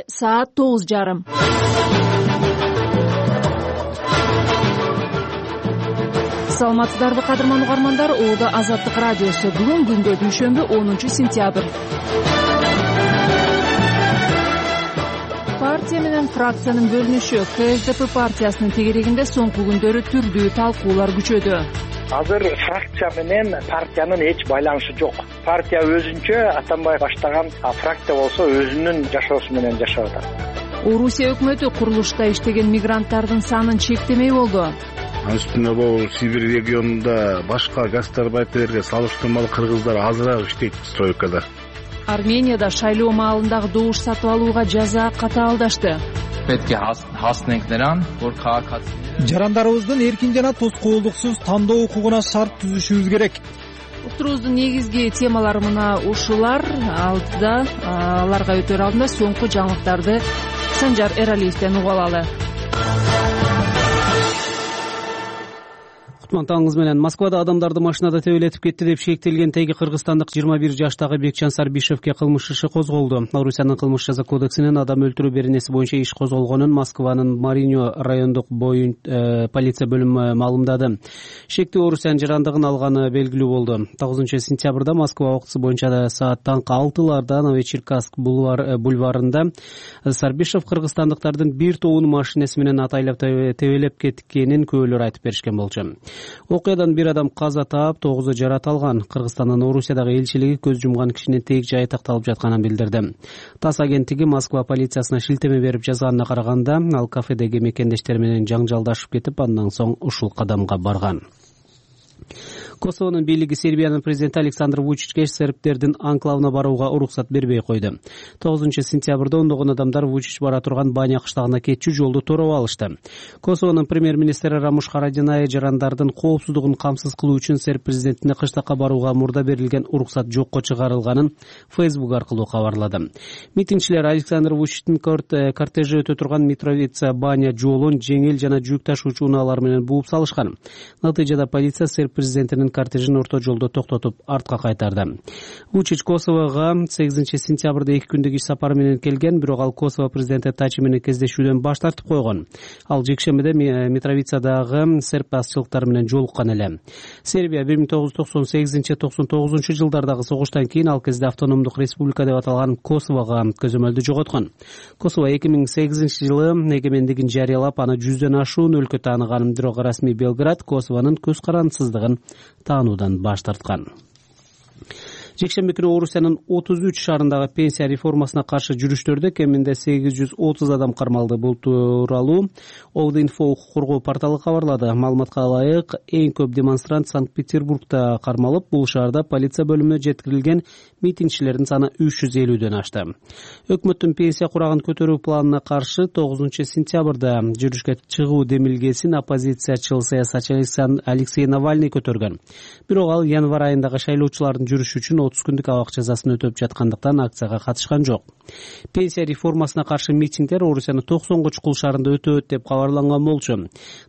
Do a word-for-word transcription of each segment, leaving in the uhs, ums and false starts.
саат тогуз жарым. Саламатсыздарбы кадырман угармандар, Оодо Азаттык радиосу. Бүгүн күндө дүйшөмбү онунчу сентябрь. Партия менен фракциянын бөлүнүшү КСДП партиясынын тегерегинде соңку күндөрү түрдүү талкуулар күчөдү. Азыр фракция менен партиянын эч байланышы жок. Партия өзүнчө Атамбаев баштаган, а фракция болсо өзүнүн жашоосу менен жашап атат. Орусия өкмөтү курулушта иштеген мигранттардын санын чектемей болду. Анын үстүнө бул Сибирь регионунда башка гастарбайтерге салыштырмалуу кыргыздар азыраак иштейт стройкада. Арменияда шайлоо маалындагы добуш сатып алууга жаза катаалдашты. Жарандарыбыздын эркин жана тоскоолдуксуз тандоо укугуна шарт түзүшүбүз керек. Уктуруубуздун негизги темалары мына ушулар. Алдыда аларга өтөр алдында соңку жаңылыктарды Санжар Эралиевден угуп алалы. Таңыңыз менен. Москвада адамдарды машинада тебелетип кетти деп шектелген теги кыргызстандык жыйырма бир жаштагы Бекчан Сарбишевке кылмыш иши козголду. Орусиянын кылмыш жаза кодексинен адам өлтүрүү беренеси боюнча иш козголгонун Москванын Мариньо райондук боюн э, полиция бөлүмү маалымдады. Шектүү Орусиянын жарандыгын алганы белгилүү болду. тогузунчу сентябрда Москва убактысы боюнча саат таңкы алтыларда Новочеркасск бульвар, бульварында Сарбишев кыргызстандыктардын бир тобун машинеси менен атайлап тебелеп кеткенин күбөлөр айтып беришкен болчу. Окуядан бир адам каза таап, тогузу жарат алган. Кыргызстандын Орусиядагы элчилиги көз жумган кишинин тег жайы такталып жатканын билдирди. ТАСС агенттиги Москва полициясына шилтеме берип жазганына караганда, ал кафедеги мекендештери менен жаңжалдашып кетип, андан соң ушул кадамга барган. Косовонун бийлиги Сербиянын президенти Александр Вучичке сербтердин анклавына барууга уруксат бербей койду. тогузунчу сентябрда ондогон адамдар Вучич бара турган Баня кыштагына кетчү жолду тороп алышты. Косовонун премьер-министри Рамуш Харадинай жарандардын коопсуздугун камсыз кылуу үчүн серб президентине кыштакка барууга мурда берилген уруксат жокко чыгарылганын Facebook аркылуу кабарлады. Митингчилер Александр Вучичтин кортежи өтө турган Митровица Баня жолун жеңил жана жүк ташуучу унаалар менен бууп салышкан. Натыйжада полиция серб президентинин кортежин орто жолдо токтотуп артка кайтарды. Вучич Косового сегизинчи сентябрда эки күндүк иш сапары менен келген, бирок ал Косово президенти Тачи менен кездешүүдөн баш тартып койгон. Ал жекшембиде Митровицадагы серб басчылыктары менен жолуккан эле. Сербия бир миң тогуз жүз токсон сегизинчи токсон тогузунчу жылдардагы согуштан кийин ал кезде автономдук республика деп аталган Косового көзөмөлдү жоготкон. Косово эки миң сегизинчи жылы эгемендигин жарыялап, аны жүздөн ашуун өлкө тааныган, бирок расмий Белград Косовонун көз карандысыздыгын таануудан баш тарткан. Жекшемби күнү Орусиянын отуз үч шаарындагы пенсия реформасына каршы жүрүштөрдө кеминде сегиз жүз отуз адам кармалды. Бул тууралуу Овдинфо укук коргоо порталы кабарлады. Маалыматка ылайык, эң көп демонстрант Санкт-Петербургда кармалып, бул шаарда полиция бөлүмүнө жеткирилген митингчилердин саны үч жүз элүүдөн ашты. Өкмөттүн пенсия курагын көтөрүү планына каршы тогузунчу сентябрда жүрүшкө чыгуу демилгесин оппозициячыл саясатчы Алексей Навальный көтөргөн. Бирок ал январь айындагы шайлоочулардын жүрүшү үчүн отуз күндүк абак жазасын өтөп жаткандыктан акцияга катышкан жок. Пенсия реформасына каршы митингдер Орусиянын токсонго чукул шаарында өтөт деп кабарланган болчу.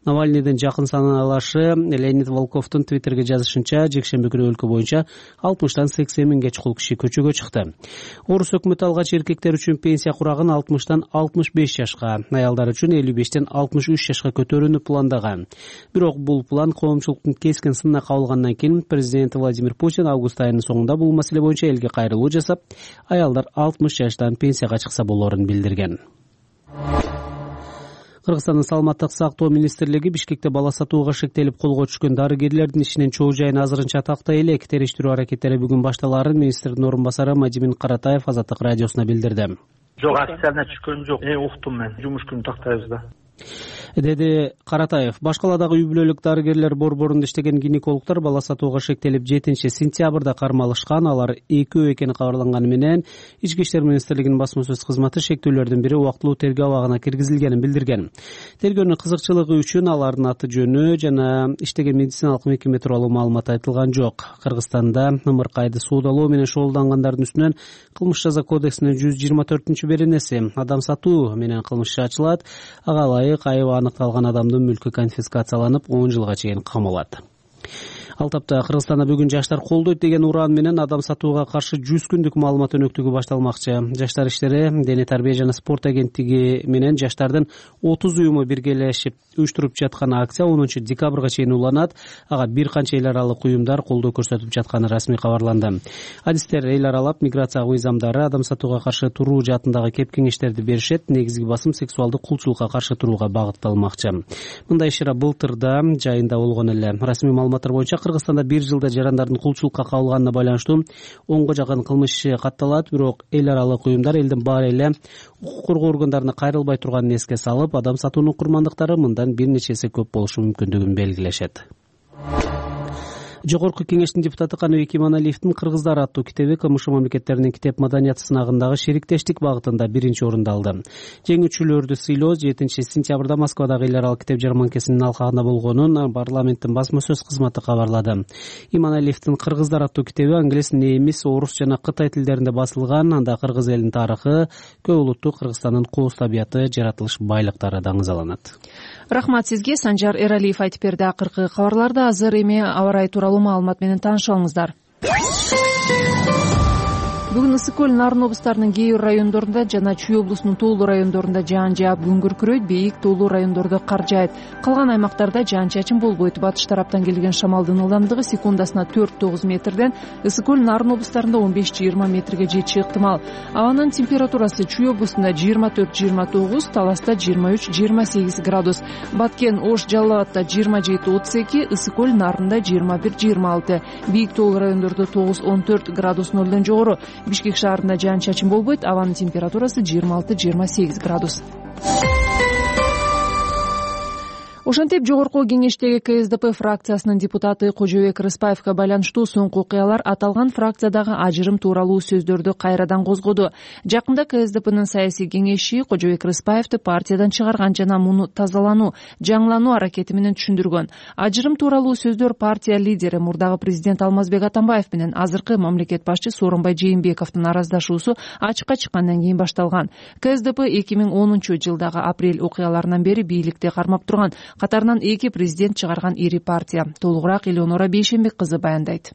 Навальныйдын жакын санаалашы Леонид Волковдун Твиттерге жазышынча, жекшемби күнү өлкө боюнча алтымыштан сексен миңге чукул киши көчөгө чыкты. Орус өкмөтү алгач эркектер үчүн пенсия курагын алтымыштан алтымыш беш жашка, аялдар үчүн элүү бештен алтымыш үч жашка көтөрүүнү пландаган. Бирок бул план коомчулуктун кескин сынына кабылгандан кийин президент Владимир Путин август айынын соңунда бул маселе боюнча элге кайрылуу жасап, аялдар алтымыш жаштан пенсияга чыкса болорун билдирген. Кыргызстандын саламаттык сактоо министрлиги Бишкекте бала сатууга шектелип колго түшкөн дарыгерлердин ишинин чоо жайын азырынча тактай элек. Териштирүү аракеттери бүгүн башталарын министрдин орун басары Мадимин Каратаев Азаттык радиосуна билдирди. Жок, официально түшкөн жок. Э, уктум мен. Жумуш күнү тактайбыз да. деди Каратаев. Башкаладагы үй бүлөлүк дарыгерлер борборунда иштеген гинекологдор бала сатууга шектелип жетинчи сентябрда кармалышкан. Алар экөө экени кабарланганы менен Ички иштер министрлигинин басма сөз кызматы шектүүлөрдүн бири убактылуу тергөө абагына киргизилгенин билдирген. Тергөөнүн кызыкчылыгы үчүн алардын аты жөнү жана иштеген медициналык мекеме тууралуу маалымат айтылган жок. Кыргызстанда ымыркайды суудалоо менен шогулдангандардын үстүнөн кылмыш жаза кодексинин жүз жыйырма төртүнчү беренеси адам сатуу менен кылмыш ачылат. Ага ылайык айыбы аныкталган адамдын мүлкү конфискацияланып он жылга чейин камалат. Ал тапта Кыргызстанда бүгүн жаштар колдойт деген ураан менен адам сатууга каршы жүз күндүк маалымат өнөктүгү башталмакчы. Жаштар иштери, дене тарбия жана спорт агенттиги менен жаштардын отуз уюму биргелешип уюштуруп жаткан акция онунчу декабрга чейин уланат. Ага бир канча эл аралык уюмдар колдоо көрсөтүп жатканы расмий кабарланды. Адистер эл аралап миграция мыйзамдары, адам сатууга каршы туруу жаатындагы кеп кеңештерди беришет. Негизги басым сексуалдык кулчулукка каршы турууга багытталмакчы. Мындай иш-чара былтырда жайында болгон эле. Расмий маалыматтар боюнча Кыргызстанда бир жылда жарандардын кулчулукка кабылганына байланыштуу онго жакын кылмыш иши катталат. Бирок эл аралык уюмдар элдин баары эле укук коргоо органдарына кайрылбай турганын эске салып, адам сатуунун курмандыктары мындан бир нече эсе көп болушу мүмкүндүгүн белгилешет. Жогорку кеңештин депутаты Каныбек Иманалиевдин «Кыргыздар» аттуу китеби КМШ мамлекеттеринин китеп маданияты сынагындагы шериктештик багытында биринчи орунду алды. Жеңүүчүлөрдү сыйлоо жетинчи сентябрда Москвадагы эл аралык китеп жарманкесинин алкагында болгонун парламенттин басма сөз кызматы кабарлады. Иманалиевдин «Кыргыздар» аттуу китеби англис, немис, орус жана кытай тилдеринде басылган. Анда кыргыз элинин тарыхы, көп улуттуу Кыргызстандын кооз табияты, жаратылыш байлыктары даңызаланат. Рахмат сизге. Санжар Эралиев айтып берди. Акыркы кабарларды азыр эми аба ырайы тууралуу маалымат менен таанышалыңыздар. Бүгүн Ысык көл, Нарын облустарынын кээ бир райондорунда жана Чүй облусунун тоолуу райондорунда жаан жаап, күн күркүрөйт, бийик тоолуу райондордо кар жаайт. Калган аймактарда жаан-чачын болбойт. Батыш тараптан келген шамалдын ылдамдыгы секундасына төрт тогуз метрден Ысык көл, Нарын облустарында он беш жыйырма метрге жетиши ыктымал. Абанын температурасы Чүй облусунда жыйырма төрт жыйырма тогуз, Таласта жыйырма үч жыйырма сегиз градус, Баткен, Ош, Жалал абадта жыйырма жети отуз эки, Ысык көл, Нарында жыйырма бир жыйырма алты, бийик тоолуу райондордо тогуз он төрт градус нолдон жогору. Бишкек шаарында жаан-чачын болбойт. Абанын температурасы жыйырма алты жыйырма сегиз градус. Ошентип жогорку кеңештеги КСДП фракциясынын депутаты Кожобек Рыспаевга байланыштуу соңку окуялар аталган фракциядагы ажырым тууралуу сөздөрдү кайрадан козгоду. Жакында КСДПнын саясий кеңеши Кожобек Рыспаевди партиядан чыгарган жана муну тазалануу, жаңылануу аракети менен түшүндүргөн. Ажырым тууралуу сөздөр партия лидери мурдагы президент Алмазбек Атамбаев менен азыркы мамлекет башчы Сооронбай Жээнбековдун араздашуусу ачыкка чыккандан кийин башталган. КСДП эки миң онунчу жылдагы апрель окуяларынан бери бийликти кармап турган. Катарынан эки президент чыгарган ири партия. Толугураак Элеонора Бейшенбек кызы баяндайт.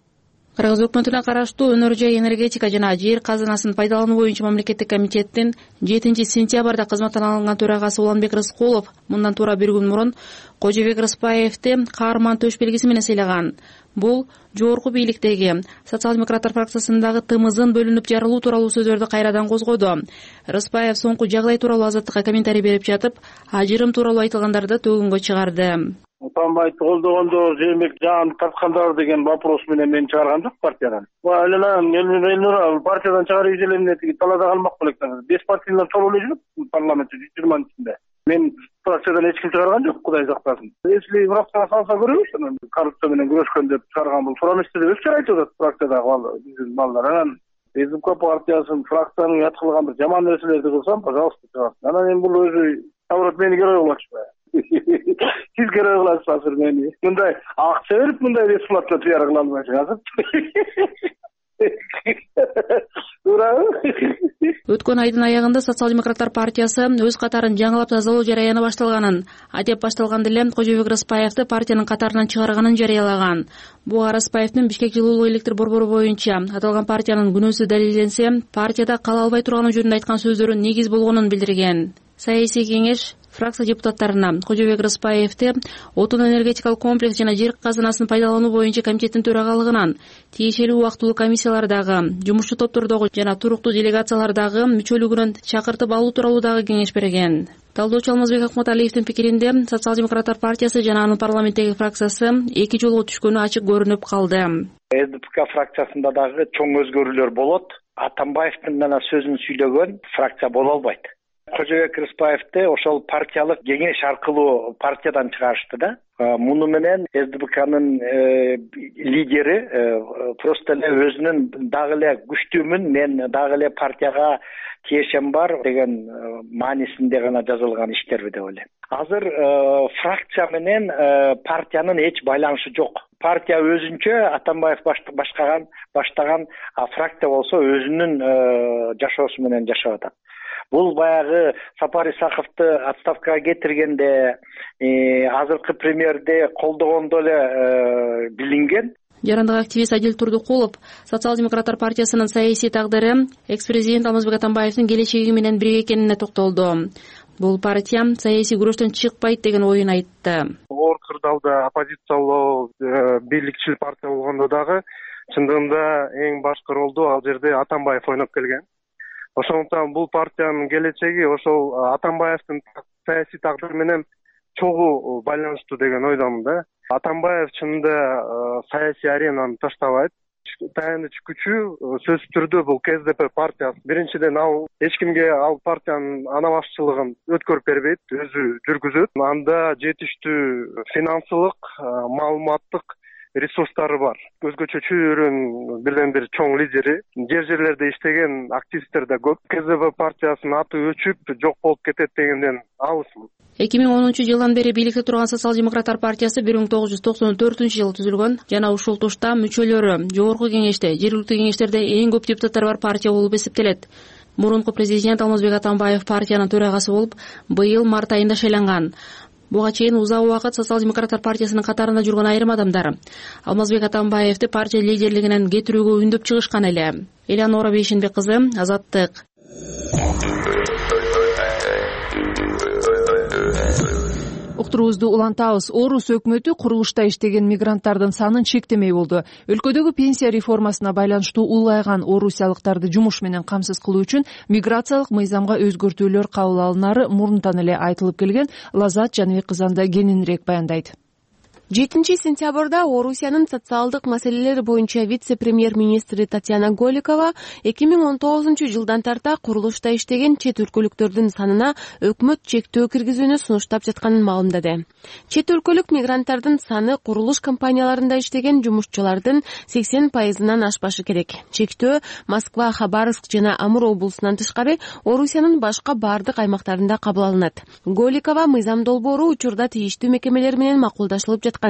Кыргыз өкмөтүнө караштуу өнөр жай, энергетика жана жер казынасын пайдалануу боюнча мамлекеттик комитеттин жетинчи сентябрда кызматтан алынган төрагасы Уланбек Рыскулов мындан туура бир күн мурун Кожобек Рыспаевди каарман төш белгиси менен сыйлаган. Бул жогорку бийликтеги социал-демократтар фракциясындагы тымызын бөлүнүп жарылуу тууралуу сөздөрдү кайрадан козгоду. Рыспаев соңку жагдай тууралуу Азаттыкка комментарий берип жатып, ажырым тууралуу айтылгандарды төгүнгө чыгарды. Атамбаевди колдогондор, Жээнбек жаан тарткандар деген вопрос менен мен чыгарган жок партиядан. Элнура партиядан чыгарып изелемне тиги талаада калмак белектер. Беш партиялар чогуу эле жүрөт парламентте жүз жыйырманын ичинде. Мен фракциядан эч ким чыгарган жок, Кудай сактасын. Если фракцияга салса көрөбүз, коррупция менен күрөшкөн деп чыгарган бул суранышты деп өз айтып атат фракциядагы биздин балдар. Анан СДП партиясын фракциянын ят кылган бир жаман нерселерди кылсам, пожалуйста, чыгарсын. Анан эми бул өзү наоборот мени герой кылып атышпайбы? Сиз герой кыласыз азыр мени. Мындай акча берип мындай бесплатно пиар кыла албайсың азыр. Өткөн айдын аягында социал-демократтар партиясы өз катарын жаңылап тазалоо жараяны башталганын, адеп башталганда эле Кожобек Рыспаевди партиянын катарынан чыгарганын жарыялаган. Буга Рыспаевдин Бишкек жылуулук электр борбору боюнча аталган партиянын күнөөсү далилденсе, партияда кала албай турганы жөнүндө айткан сөздөрү негиз болгонун билдирген. Саясий кеңеш фракция депутаттарына Кожобек Рыспаевди отун энергетикалык комплекс жана жер казынасын пайдалануу боюнча комитеттин төрагалыгынан, тиешелүү убактылуу комиссиялардагы, жумушчу топтордогу жана туруктуу делегациялардагы мүчөлүгүнөн чакыртып алуу тууралуу дагы кеңеш берген. Талдоочу Алмазбек Акматалиевдин пикиринде, социал-демократтар партиясы жана анын парламенттеги фракциясы эки жолго түшкөнү ачык көрүнүп калды. СДП фракциясында дагы чоң өзгөрүүлөр болот. Атамбаевдин гана сөзүн сүйлөгөн фракция боло албайт. Кожобек Рыспаевди ошол партиялык кеңеш аркылуу партиядан чыгарышты да. Муну менен СДПКнын лидери просто эле өзүнүн дагы эле күчтүүмүн, мен дагы эле партияга тиешем бар деген маанисинде гана жазылган иштерби деп ойлойм. Азыр фракция менен партиянын эч байланышы жок. Партия өзүнчө Атамбаев башкаган баштаган, а фракция болсо өзүнүн жашоосу менен жашап атат. Бул баягы Сапар Исаковду отставкага кетиргенде, азыркы премьерди колдогондо эле билинген. Жарандык активист Адил Турдукулов Социал-демократтар партиясынын саясий тагдыры экс-президент Алмазбек Атамбаевдин келечеги менен бирге экенине токтолду. Бул партия саясий күрөштөн чыкпайт деген оюн айтты. Оор кырдаалда оппозициялуу бийликчил партия болгондо дагы чындыгында эң башкы ролду ал жерде Атамбаев ойноп келген. Ошондуктан бул партиянын келечеги ошол Атамбаевдин саясий тагдыры менен чогуу байланыштуу деген ойдомун да. Атамбаев чынында саясий аренаны таштабайт. Таяныч күчү сөзсүз түрдө бул К С Д П партиясы. Биринчиден ал эч кимге ал партиянын ана башчылыгын өткөрүп бербейт, өзү жүргүзөт. Анда жетиштүү финансылык, маалыматтык ресурстары бар. Өзгөчө чөйрөнүн бирден бир чоң лидери, жер жерлерде иштеген активисттер да көп. К С Д П партиясынын аты өчүп, жок болуп кетет дегенден алысмын. эки миң онунчу жылдан бери бийликте турган Социал-демократтар партиясы бир миң тогуз жүз токсон төртүнчү жылы түзүлгөн жана ушул тушта мүчөлөрү жогорку кеңеште, жергиликтүү кеңештерде эң көп депутаттар бар партия болуп эсептелет. Мурунку президент Алмазбек Атамбаев партиянын төрагасы болуп, быйыл март айында шайланган. Буга чейин узак убакыт Социал-демократтар партиясынын катарында жүргөн айрым адамдар Алмазбек Атамбаевди партия лидерлигинен кетирүүгө үндөп чыгышкан эле. Элеонора Бейшенбек кызы, Азаттык. Уктуруубузду улантабыз. Орус өкмөтү курулушта иштеген мигранттардын санын чектемей болду. Өлкөдөгү пенсия реформасына байланыштуу улайган орусиялыктарды жумуш менен камсыз кылуу үчүн миграциялык мыйзамга өзгөртүүлөр кабыл алынары мурунтан эле айтылып келген. Лазат Жаныбек кызы анда кененирээк баяндайт. жетинчи сентябрда Орусиянын социалдык маселелер боюнча вице-премьер-министри Татьяна Голикова эки миң он тогузунчу жылдан тарта курулушта иштеген чет өлкөлүктөрдүн санына өкмөт чектөө киргизүүнү сунуштап жатканын маалымдады. Чет өлкөлүк мигранттардын саны курулуш компанияларында иштеген жумушчулардын сексен пайызынан ашпашы керек. Чектөө Москва, Хабаровск жана Амур облусунан тышкары Орусиянын башка бардык аймактарында кабыл алынат. Голикова мыйзам долбоору учурда тийиштүү мекемелер менен макулдашылып жаткан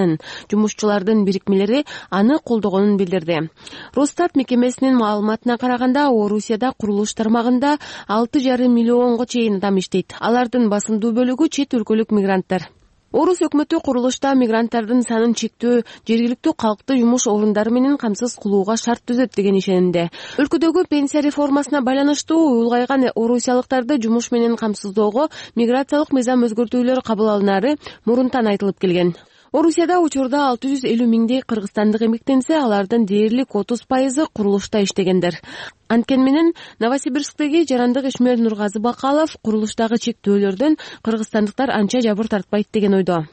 жумушчулардын бирикмелери аны колдогонун билдирди. Росстат мекемесинин маалыматына караганда, Орусияда курулуш тармагында алты жарым миллионго чейин адам иштейт. Алардын басымдуу бөлүгү чет өлкөлүк мигранттар. Орус өкмөтү курулушта мигранттардын санын чектөө, жергиликтүү калкты жумуш орундары менен камсыз кылууга шарт түзөт деген ишенимде. Өлкөдөгү пенсия реформасына байланыштуу улгайган орусиялыктарды жумуш менен камсыздоого миграциялык мыйзам өзгөртүүлөр кабыл алынары мурунтан айтылып келген. Орусияда учурда алты жүз элүү миңдей кыргызстандык эмгектенсе, алардын дээрлик отуз пайызы курулушта иштегендер. Анткени менен Новосибирсктеги жарандык ишмер Нургазы Бакалов курулуштагы чектөөлөрдөн кыргызстандыктар анча жабыр тартпайт деген ойдо.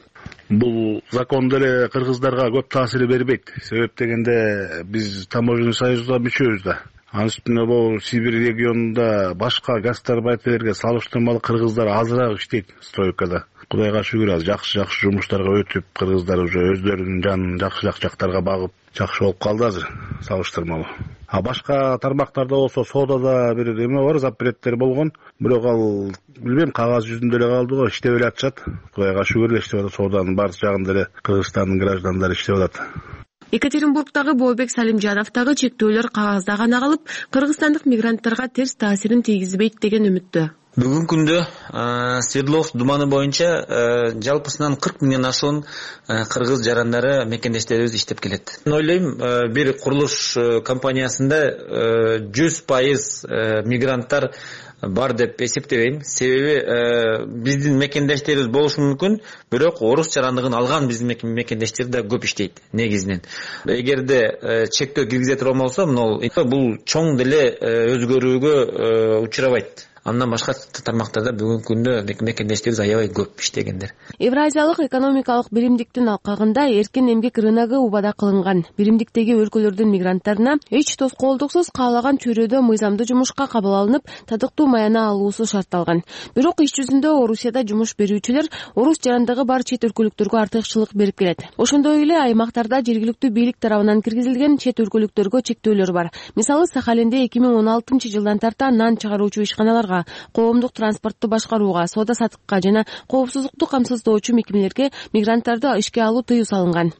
Бул закон деле кыргыздарга көп таасир бербейт. Себеп дегенде биз таможенный союзга мүчөбүз да. Анын үстүнө бул Сибирь регионунда башка гастарбайтерге салыштырмалуу кыргыздар азыраак иштейт стройкада. Кудайга шүгүр, аз жакшы-жакшы жумуштарга өтүп, кыргыздар уже өздөрүнүн жанын жакшы-жакшы жактарга багып, жакшы болуп калды азыр салыштырмалуу. А башка тармактарда болсо соодада бир эме бар, запреттер болгон. Бирок ал билбейм, кагаз жүзүндө эле калды го, иштеп эле атышат. Кудайга шүгүр эле иштеп атат, сооданын баары жагында эле Кыргызстандын граждандары иштеп атат. Екатеринбургдагы Бообек Салимжановдагы чектөөлөр кагазда гана калып, кыргызстандык мигранттарга терс таасирин тийгизбейт деген үмүттө. Бүгүнкү күндө Свердлов думаны боюнча жалпысынан кырк миңден ашуун кыргыз жарандары мекендештерибиз иштеп келет. Мен ойлойм, бир курулуш компаниясында жүз пайыз мигранттар бар деп эсептебейм. Себеби биздин мекендештерибиз болушу мүмкүн, бирок орус жарандыгын алган биздин мекендештер да көп иштейт негизинен. Эгерде чектөө киргизе турган болсо, бул чоң деле өзгөрүүгө учурабайт. Андан башка тармактарда бүгүнкү күндө мекендештерибиз аябай көп иштегендер. Евразиялык экономикалык биримдиктин алкагында эркин эмгек рыногу убада кылынган. Биримдиктеги өлкөлөрдүн мигранттарына эч тоскоолдуксуз каалаган чөйрөдө мыйзамдуу жумушка кабыл алынып, татыктуу маяна алуусу шартталган. Бирок иш жүзүндө Орусияда жумуш берүүчүлөр орус жарандыгы бар чет өлкөлүктөргө артыкчылык берип келет. Ошондой эле аймактарда жергиликтүү бийлик тарабынан киргизилген чет өлкөлүктөргө чектөөлөр бар. Мисалы, Сахалинде эки миң он алтынчы жылдан тарта нан чыгаруучу ишканаларга, коомдук транспортту башкарууга, соода саттыкка жана коопсуздукту камсыздоочу мекемелерге мигранттарды ишке алуу тыюу салынган.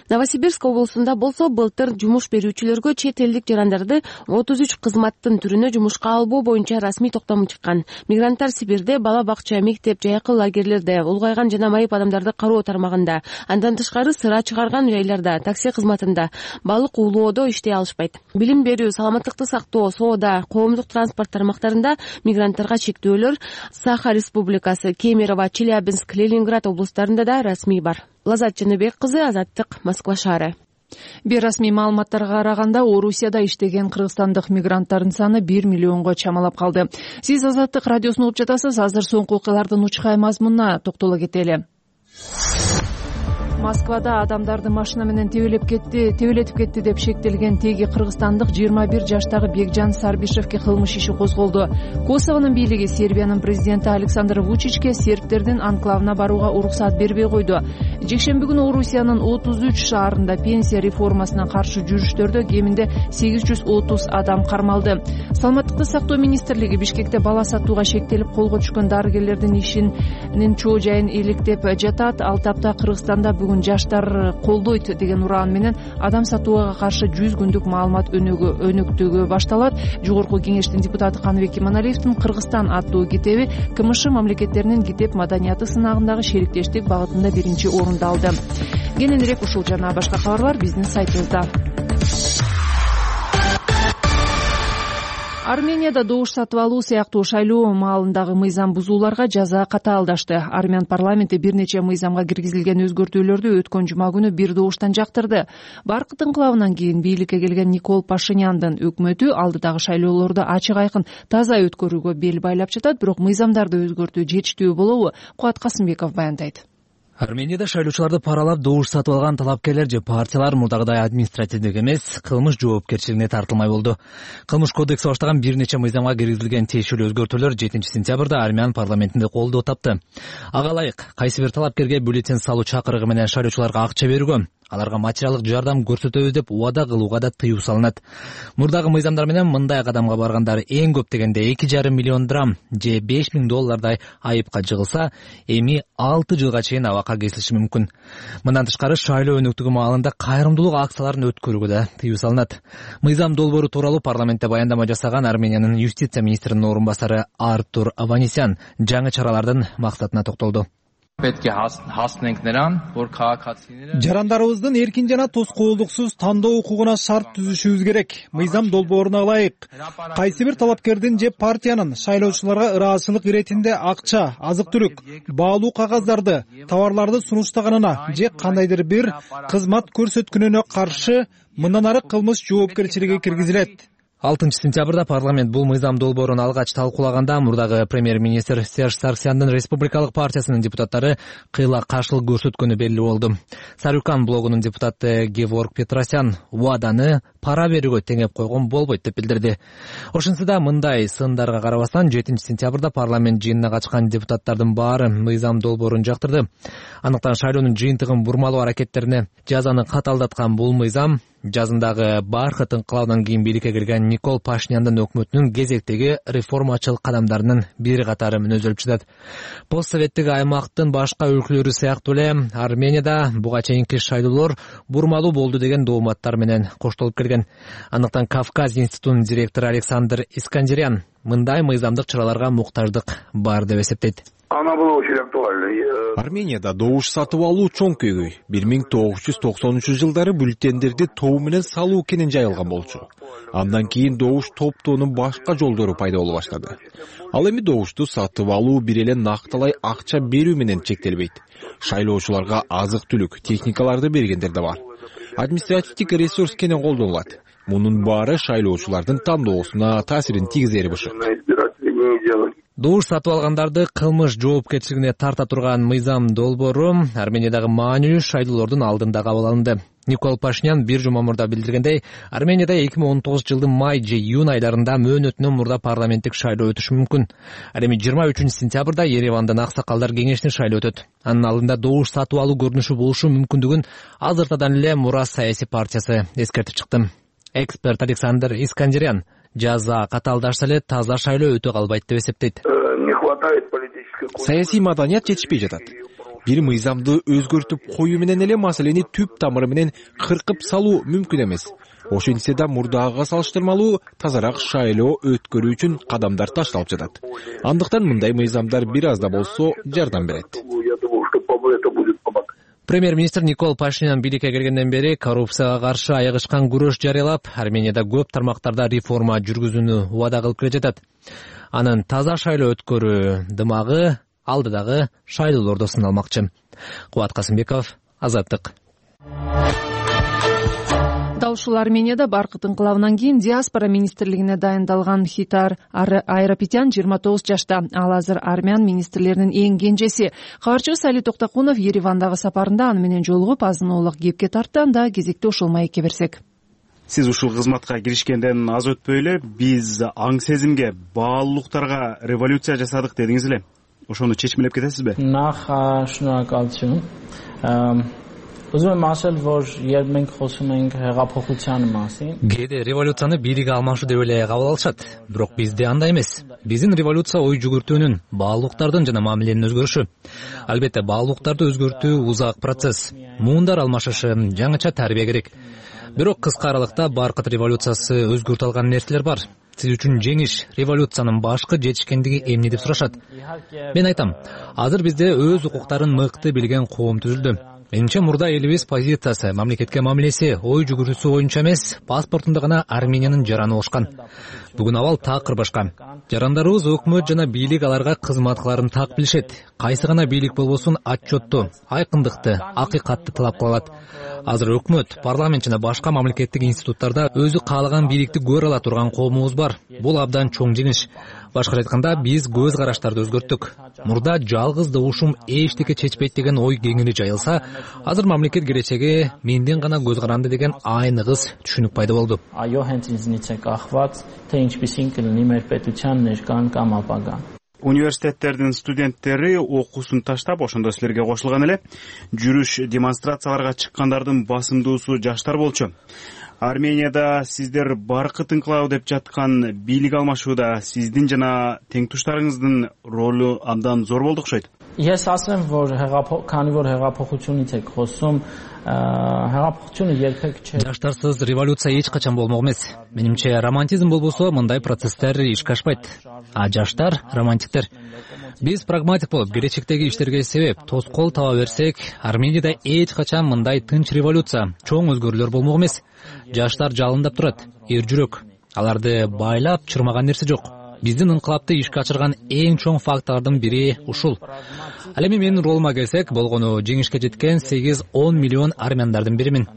Новосибирск облусунда болсо былтыр жумуш берүүчүлөргө чет элдик жарандарды отуз үч кызматтын түрүнө жумушка албоо боюнча расмий токтом чыккан. Мигранттар Сибирде бала бакча, мектеп, жайкы лагерлерде, улгайган жана майып адамдарды кароо тармагында, андан тышкары сыра чыгарган жайларда, такси кызматында, балык уулоодо иштей алышпайт. Билим берүү, саламаттыкты сактоо, соода, коомдук транспорт тармактарында мигранттарга чектөөлөр Саха Республикасы, Кемерово, Челябинск, Ленинград облустарында да расмий бар. Лазат Жаныбек кызы, Азаттык, Москва шаары. Бейрасмий маалыматтарга караганда Орусияда иштеген кыргызстандык мигранттардын саны бир миллионго чамалап калды. Сиз Азаттык радиосун угуп жатасыз. Азыр соңку окуялардын учкай мазмунуна токтоло кетели. Москвада адамдарды машина менен тебелеп кетти, тебелетип кетти деп шектелген теги кыргызстандык жыйырма бир жаштагы Бекжан Сарбишевке кылмыш иши козголду. Косовонун бийлиги Сербиянын президенти Александр Вучичке сербтердин анклавына барууга уруксат бербей койду. Жекшемби күнү Орусиянын отуз үч шаарында пенсия реформасына каршы жүрүштөрдө кеминде сегиз жүз отуз адам кармалды. Саламаттыкты сактоо министрлиги Бишкекте бала сатууга шектелип колго түшкөн дарыгерлердин ишинин чоо жайын иликтеп жатат. Ал тапта Кыргызстанда бүгүн жаштар колдойт деген ураан менен адам сатууга каршы жүз күндүк маалымат өнөктүгү башталат. Жогорку кеңештин депутаты Каныбек Иманалиевдин Кыргызстан аттуу китеби КМШ мамлекеттеринин китеп маданияты сынагындагы шериктештик багытында биринчи орунду алды. Кененирээк ушул жана башка кабарлар биздин сайтыбызда. Арменияда добуш сатып алуу сыяктуу шайлоо маалындагы мыйзам бузууларга жаза катаалдашты. Армян парламенти бир нече мыйзамга киргизилген өзгөртүүлөрдү өткөн жума күнү бир добуштан жактырды. Баркыт инкылабынан кийин бийликке келген Никол Пашиняндын өкмөтү алдыдагы шайлоолорду ачык айкын таза өткөрүүгө бел байлап жатат, бирок мыйзамдарды өзгөртүү жетиштүү болобу? Кубат Касымбеков баяндайт. Арменияда шайлоочуларды паралап добуш сатып алган талапкерлер же партиялар мурдагыдай административдик эмес, кылмыш жоопкерчилигине тартылмай болду. Кылмыш кодекси баштаган бир нече мыйзамга киргизилген тиешелүү өзгөртүүлөр жетинчи сентябрда Армян парламентинде колдоо тапты. Ага ылайык кайсы бир талапкерге бюллетень салуу чакырыгы менен шайлоочуларга акча берүүгө, аларга материалдык жардам көрсөтөбүз деп убада кылууга да тыюу салынат. Мурдагы мыйзамдар менен мындай кадамга баргандар эң көп дегенде эки жарым миллион драм же беш миң доллардай айыпка жыгылса, эми алты жылга чейин абакка кесилиши мүмкүн. Мындан тышкары шайлоо өнөктүгү маалында кайрымдуулук акцияларын өткөрүүгө да тыюу салынат. Мыйзам долбоору тууралуу парламентте баяндама жасаган Армениянын юстиция министринин орун басары Артур Аванесян жаңы чаралардын максатына токтолду. Жарандарыбыздын эркин жана тоскоолдуксуз тандоо укугуна шарт түзүшүбүз керек. Мыйзам долбооруна ылайык кайсы бир талапкердин же партиянын шайлоочуларга ыраазычылык иретинде акча, азык-түлүк, баалуу кагаздарды, товарларды сунуштаганына же кандайдыр бир кызмат көрсөткөнүнө каршы мындан ары кылмыш жоопкерчилиги киргизилет. алтынчы сентябрда парламент бул мыйзам долбоорун алгач талкуулаганда мурдагы премьер-министр Серж Сарксяндын Республикалык партиясынын депутаттары кыйла каршылык көрсөткөнү белгилүү болду. Сарюкан блогунун депутаты Геворг Петросян убаданы пара берүүгө теңеп койгон болбойт деп билдирди. Ошентсе да мындай сындарга карабастан жетинчи сентябрда парламент жыйынына катышкан депутаттардын баары мыйзам долбоорун жактырды. Андыктан шайлоонун жыйынтыгын бурмалоо аракеттерине жазаны катаалдаткан бул мыйзам жазындагы Баркыт инкылабынан кийин бийликке келген Никол Пашиняндын өкмөтүнүн кезектеги реформачылык кадамдарынын бир катары мүнөзөлүп жатат. Постсоветтик аймактын башка өлкөлөрү сыяктуу эле Арменияда буга чейинки шайлоолор бурмалуу болду деген дооматтар менен коштолуп келген. Андыктан Кавказ институтунун директору Александр Искандерян мындай мыйзамдык чараларга муктаждык бар деп эсептейт. Арменияда добуш сатып алуу чоң көйгөй. бир миң тогуз жүз токсонунчу жылдары бюллетендерди тоо менен салуу кенен жайылган болчу. Андан кийин добуш топтоонун башка жолдору пайда боло баштады. Ал эми добушту сатып алуу бир эле накталай акча берүү менен чектелбейт. Шайлоочуларга азык-түлүк, техникаларды бергендер да бар. Административдик ресурс кенен колдонулат. Мунун баары шайлоочулардын тандоосуна таасирин тийгизери бышык. Добуш сатып алгандарды кылмыш жоопкерчилигине тарта турган мыйзам долбоору Армениядагы маанилүү шайлоолордун алдында кабыл алынды. Никол Пашинян бир жума мурда билдиргендей, Арменияда эки миң он тогузунчу жылдын май же июнь айларында мөөнөтүнөн мурда парламенттик шайлоо өтүшү мүмкүн. Ал эми жыйырма үчүнчү сентябрда Еревандын аксакалдар кеңешинин шайлоо өтөт. Анын алдында добуш сатып алуу көрүнүшү болушу мүмкүндүгүн азыртадан эле Мурас саясий партиясы эскертип чыкты. Эксперт Александр Искандерян жаза катаалдашса эле таза шайлоо өтө калбайт деп эсептейт. Саясий маданият жетишпей жатат. бир мыйзамды өзгөртүп коюу менен эле маселени түп тамыры менен кыркып салуу мүмкүн эмес. Ошентсе да мурдагыга салыштырмалуу тазараак шайлоо өткөрүү үчүн кадамдар ташталып жатат. Андыктан мындай мыйзамдар бир аз да болсо жардам берет. Премьер-министр Никол Пашинян бийликке келгенден бери коррупцияга каршы айыгышкан күрөш жарыялап, Арменияда көп тармактарда реформа жүргүзүүнү убада кылып келе жатат. Анын таза шайлоо өткөрүү дымагы алдыдагы шайлоолордо сыналмакчы. Кубат Касымбеков, Азаттык. Дал ушул Арменияда баркыт инкылабынан кийин диаспора министрлигине дайындалган Хитар Айрапетян жыйырма тогуз жашта. Ал азыр армян министрлеринин эң кенжеси. Кабарчыбыз Али Токтакунов Еревандагы сапарында аны менен жолугуп, азын оолак кепке тартты. Анда кезекте ошол маекке берсек. Сиз ушул кызматка киришкенден аз өтпөй эле биз аң сезимге, баалуулуктарга революция жасадык дедиңиз эле. Ошону чечмелеп кетесизби? Նախ շնորհակալություն. Ուզում եմ ասել, որ երբ մենք խոսում ենք հեղափոխության մասին, Кээде революцияны бийлик алмашуу деп эле кабыл алышат. Бирок бизде андай эмес. Биздин революция ой жүгүртүүнүн, баалуулуктардын жана мамиленин өзгөрүшү. Албетте, баалуулуктарды өзгөртүү узак процесс. Муундар алмашышы, жаңыча тарбия керек. Бирок кыска аралыкта баркыт революциясы өзгөртө алган нерселер бар. Сиз үчүн жеңиш, революциянын башкы жетишкендиги эмне деп сурашат. Мен айтам, азыр бизде өз укуктарын мыкты билген коом түзүлдү. Менимче мурда элибиз позициясы, мамлекетке мамилеси, ой жүгүрүүсү боюнча эмес, паспортунда гана Армениянын жараны болушкан. Бүгүн абал такыр башка. Жарандарыбыз өкмөт жана бийлик аларга кызмат кыларын так билишет. Кайсы гана бийлик болбосун отчетту, айкындыкты, акыйкатты талап кылат. Азыр өкмөт, парламент жана башка мамлекеттик институттарда өзү каалаган бийликти көрө ала турган коомубуз бар. Бул абдан чоң жеңиш. Башкача айтканда, биз көз караштарды өзгөрттүк. Мурда жалгыз добушум эчтеке чечпейт деген ой кеңири жайылса, азыр мамлекет келечеги менден гана көз каранды деген айныгыз түшүнүк пайда болду. Այո, հենց ինձնից է կախված, թե ինչպիսին կլինի մեր պետության ներկան կամ ապագան. Университеттердин студенттери окуусун таштап, ошондо силерге кошулган эле. Жүрүш, демонстрацияларга чыккандардын басымдуусу жаштар болчу. Арменияда сиздер баркыт инкылабы деп жаткан бийлик алмашууда сиздин жана теңтуштарыңыздын ролу абдан зор болду окшойт. Ես ասեմ, որ քանի որ հեղափոխությունից եք խոսում, հեղափոխությունը երբեք չէ. Жаштарсыз революция эч качан болмок эмес. Менимче, романтизм болбосо мындай процесстер ишке ашпайт. А жаштар романтиктер. Биз прагматик болуп, келечектеги иштерге себеп, тоскоол таба берсек, Арменияда эч качан мындай тынч революция, чоң өзгөрүүлөр болмок эмес. Жаштар жалындап турат, эр жүрөк. Аларды байлап чырмаган нерсе жок. Биздин инкылапты ишке ачырган эң чоң фактордун бири ушул. Ал эми менин ролума келсек, болгону жеңишке жеткен сегиз он миллион армяндардын биримин.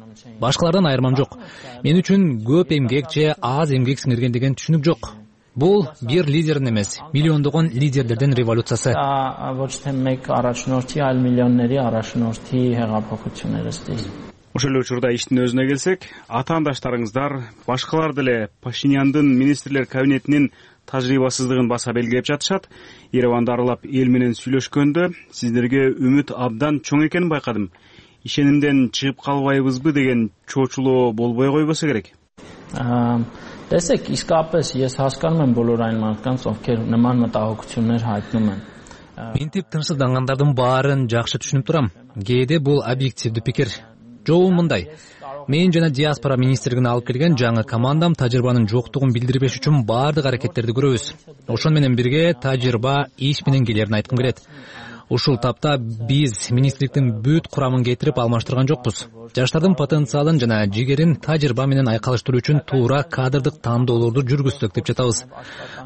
Башкалардан айырмам жок. Мен үчүн көп эмгек же аз эмгек сиңирген деген түшүнүк жок. Бул бир лидердин эмес, миллиондогон лидерлердин революциясы. Ոչ թե մեկ առաջնորդի, այլ միլիոնների առաջնորդի հեղափոխություններ ըստ. Ошол эле учурда иштин өзүнө келсек, атаандаштарыңыздар башкалар деле Пашиняндын министрлер кабинетинин тажрыйбасыздыгын баса белгилеп жатышат. Ереванды аралап эл менен сүйлөшкөндө сиздерге үмүт абдан чоң экенин байкадым. Ишенимден чыгып калбайбызбы деген чоочулоо болбой койбосо керек. Տեսեք, իսկապես ես հասկանում եմ բոլոր այն մարդկանց, ովքեր նման մտահոգություններ հայտնում են. Мен тип тынчсыздангандардын баарын жакшы түшүнүп турам. Кээде бул объективдүү пикир. Жобу мындай. Мен жана диаспора министрлигине алып келген жаңы командам тажрыйбанын жоктугун билдирбеш үчүн баардык аракеттерди көрөбүз. Ошон менен бирге тажрыйба иш менен келерин айткым келет. Ушул тапта биз министрликтин бүт курамын кетирип алмаштырган жокпуз. Жаштардын потенциалын жана жигерин тажрыйба менен айкалыштыруу үчүн туура кадрдык тандоолорду жүргүздүк деп жатабыз.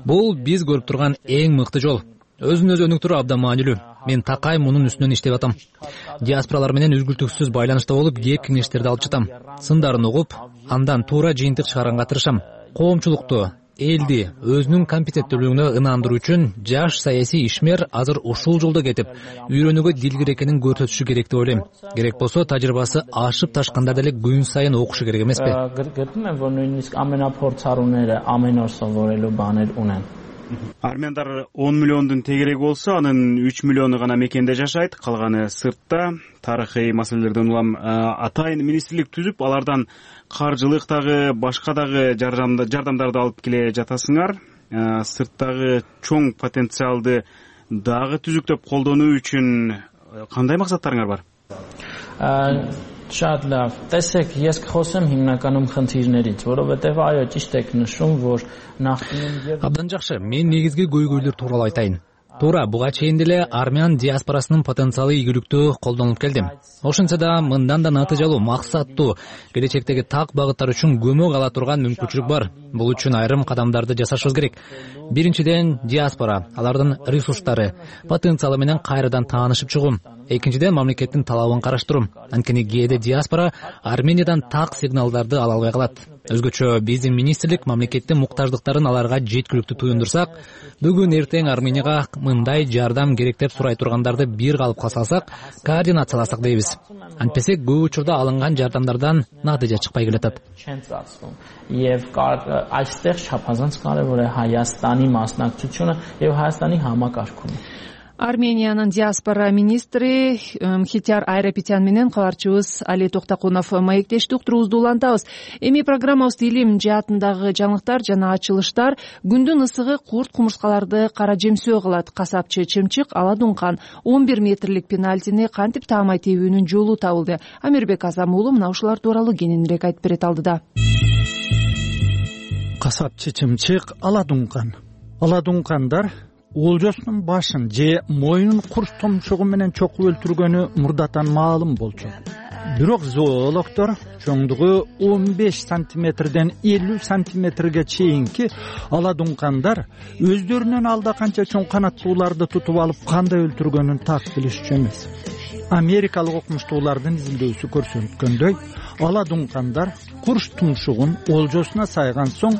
Бул биз көрүп турган эң мыкты жол. Өзүн өзү өнүктүрүү абдан маанилүү. Мен такай мунун үстүнөн иштеп атам. Диаспоралар менен үзгүлтүксүз байланышта болуп, кеп кеңештерди алып жатам. Сындарын угуп, андан туура жыйынтык чыгарганга тырышам. Коомчулукту, элди өзүнүн компетенттүүлүгүнө ынандыруу үчүн жаш саясий ишмер азыр ушул жолдо кетип, үйрөнүүгө дилгир экенин көрсөтүшү керек деп ойлойм. Керек болсо тажрыйбасы ашып ташканда деле күн сайын окушу керек эмеспи? Գտնում եմ, որ նույնիսկ ամենափորձառուները ամեն օր սովորելու баներ ունեն. Армяндар он миллиондун тегереги болсо, анын үч миллиону гана мекенде жашайт, калганы сыртта. Тарыхый маселелерден улам атайын министрлик түзүп, алардан каржылык дагы, башка дагы жардамдарды алып келе жатасыңар. Сырттагы чоң потенциалды дагы түзүктөп колдонуу үчүн кандай максаттарыңар бар? Շատ լավ։ Տեսեք, ես կխոսեմ հիմնականում խնդիրներից, որովհետև այո, ճիշտ եք նշում, որ նախկինում Абдан жакшы, мен негизги көйгөйлөр тууралуу айтайын. Туура, буга чейин деле армян диаспорасынын потенциалы ийгиликтүү колдонулуп келди. Ошентсе да мындан да натыйжалуу, максаттуу, келечектеги так багыттар үчүн көмөк ала турган мүмкүнчүлүк бар. Бул үчүн айрым кадамдарды жасашыбыз керек. Биринчиден, диаспора, алардын ресурстары, потенциалы менен кайрадан таанышып чыгуу. Экинчиден, мамлекеттин талабын караштыруу. Анткени кээде диаспора Армениядан так сигналдарды ала албай калат. Өзгөчө биздин министрлик мамлекеттин муктаждыктарын аларга жеткиликтүү туюндурсак, бүгүн эртең Арменияга мындай жардам керек деп сурай тургандарды бир калыпка салсак, координацияласак дейбиз. Антпесе көп учурда алынган жардамдардан натыйжа чыкпай келатат. Եվ այստեղ չափազանց կարևոր է Հայաստանի մասնակցությունը եւ Հայաստանի համակարգումը. Армениянын диаспора министри Мхитяр Айрапетян менен кабарчыбыз Али Токтакунов маектештик уктуруубузду улантабыз. Эми программабызды илим жаатындагы жаңылыктар жана ачылыштар. Күндүн ысыгы курт кумурскаларды кара жемсөө кылат. Касапчы Чымчык Ала Дункан он бир метрлик пенальтини кантип таамай тебүүнүн жолу табылды. Амирбек Азам уулу мына ушулар тууралуу кененирээк айтып берет алдыда. Касапчы Чымчык Ала Дункан. Ала Дункандар Олжосунун башын же моюнун курч томчугу менен чокуп өлтүргөнү мурдатан маалым болчу. Бирок зоологдор чоңдугу он беш сантиметрден элүү сантиметрге чейинки ала дункандар өздөрүнөн алда канча чоң канаттууларды тутуп алып кандай өлтүргөнүн так билишчү эмес. Америкалык окумуштуулардын изилдөөсү көрсөткөндөй, ала дункандар курч тумшугун олжосуна сайган соң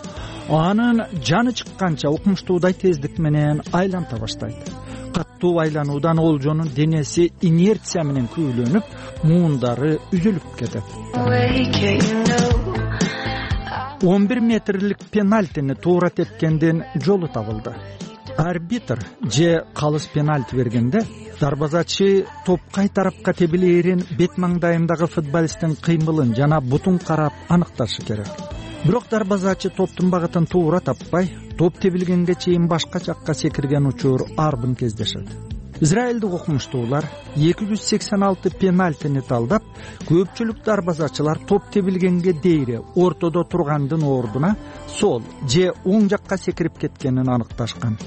анын жаны чыкканча окумуштуудай тездик менен айланта баштайт. Каттуу айлануудан олжонун денеси инерция менен күйүлөнүп, муундары үзүлүп кетет. он бир метрлик пенальтини туура тепкенден жолу табылды. Арбитр же калыс пенальти бергенде дарбазачы топ кай тарапка тебилээрин бет маңдайындагы футболисттин кыймылын жана бутун карап аныкташы керек. Бирок дарбазачы топтун багытын туура таппай, топ тебилгенге чейин башка жакка секирген учур арбын кездешет. Израилдик окумуштуулар эки жүз сексен алты пенальтини талдап, көпчүлүк дарбазачылар топ тебилгенге дейре ортодо тургандын ордуна сол же оң жакка секирип кеткенин аныкташкан.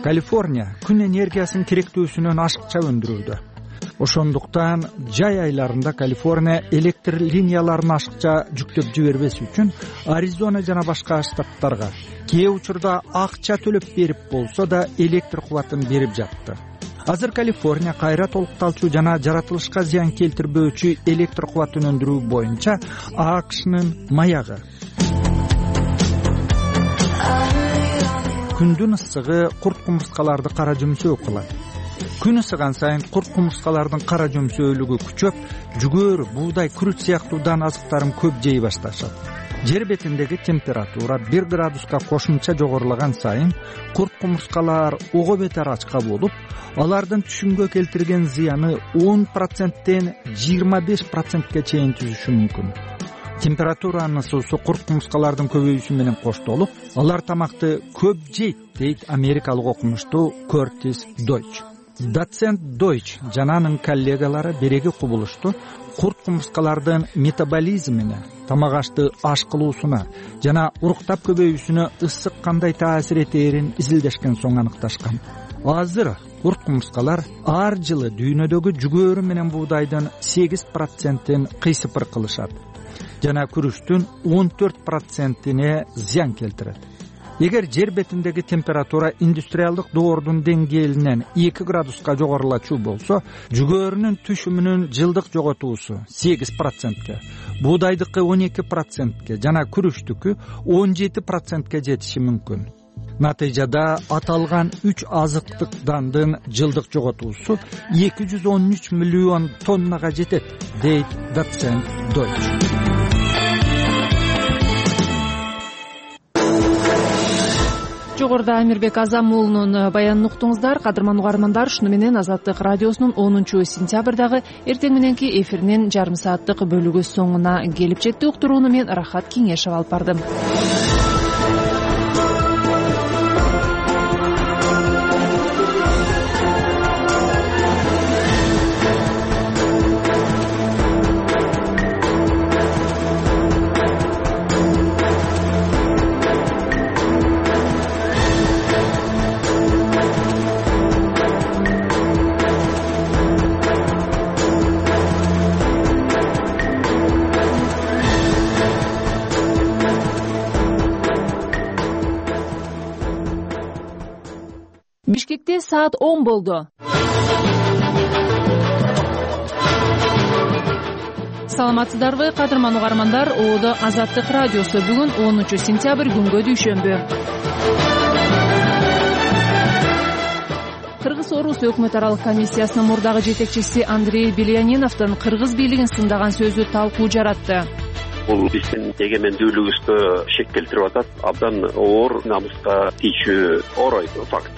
Калифорния күн энергиясынын керектүүсүнөн ашыкча өндүрүүдө. Ошондуктан жай айларында Калифорния электр линияларын ашыкча жүктөп жибербес үчүн Аризона жана башка штаттарга кээ учурда акча төлөп берип болсо да электр кубатын берип жатты. Азыр Калифорния кайра толукталчу жана жаратылышка зыян келтирбөөчү электр кубатын өндүрүү боюнча АКШнын маягы. Күндүн ысыгы курт кумурскаларды кара жөмсөө кылат. Күн ысыган сайын курт кумурскалардын кара жөмсөөлүгү күчөп, жүгөр, буудай, күрүч сыяктуу дан азыктарын көп жей башташат. Жер бетиндеги температура бир градуска кошумча жогорулаган сайын курт кумурскалар ого бетер ачка болуп, алардын түшүмгө келтирген зыяны он проценттен жыйырма беш процентке чейин түзүшү мүмкүн. Температуранын ысуусу курт кумурскалардын көбөйүүсү менен коштолуп, алар тамакты көп жейт, дейт америкалык окумуштуу Кертис Дойч. Доцент Дойч жана анын коллегалары береги кубулушту курт кумурскалардын метаболизмине, тамак ашты аш кылуусуна жана уруктап көбөйүүсүнө ысык кандай таасир этээрин изилдешкен соң аныкташкан. Азыр курт кумурскалар ар жылы дүйнөдөгү жүгөрү менен буудайдын сегиз процентин кыйсыпыр кылышат жана күрүчтүн он төрт процентине зыян келтирет. Эгер жер бетиндеги температура индустриалдык доордун деңгээлинен эки градуска жогорулачу болсо, жүгөрүнүн түшүмүнүн жылдык жоготуусу сегиз процентке, буудайдыкы он эки процентке жана күрүчтүкү он жети процентке жетиши мүмкүн. Натыйжада аталган үч азыктык дандын жылдык жоготуусу эки жүз он үч миллион тоннага жетет, дейт доцент Дойч. Жогоруда Амирбек Азам уулунун баянын уктуңуздар. Кадырман угармандар, шуну менен Азаттык радиосунун онунчу сентябрдагы эртең мененки эфиринин жарым сааттык бөлүгү соңуна келип жетти. Уктурууну мен Рахат Кеңешев алып бардым. кенетте саат он болду. Саламатсыздарбы, кадырман угармандар? Оодо Азаттык радиосу. Бүгүн онунчу сентябрь, күнгө дүйшөмбү. Кыргыз-Орус өкмөт аралык комиссиясынын мурдагы жетекчиси Андрей Беляниновдун кыргыз бийлигин сындаган сөзү талкуу жаратты. Бул биздин эгемендүүлүгүбүзгө шек келтирип атат. Абдан оор, намыска тийчү оор факт.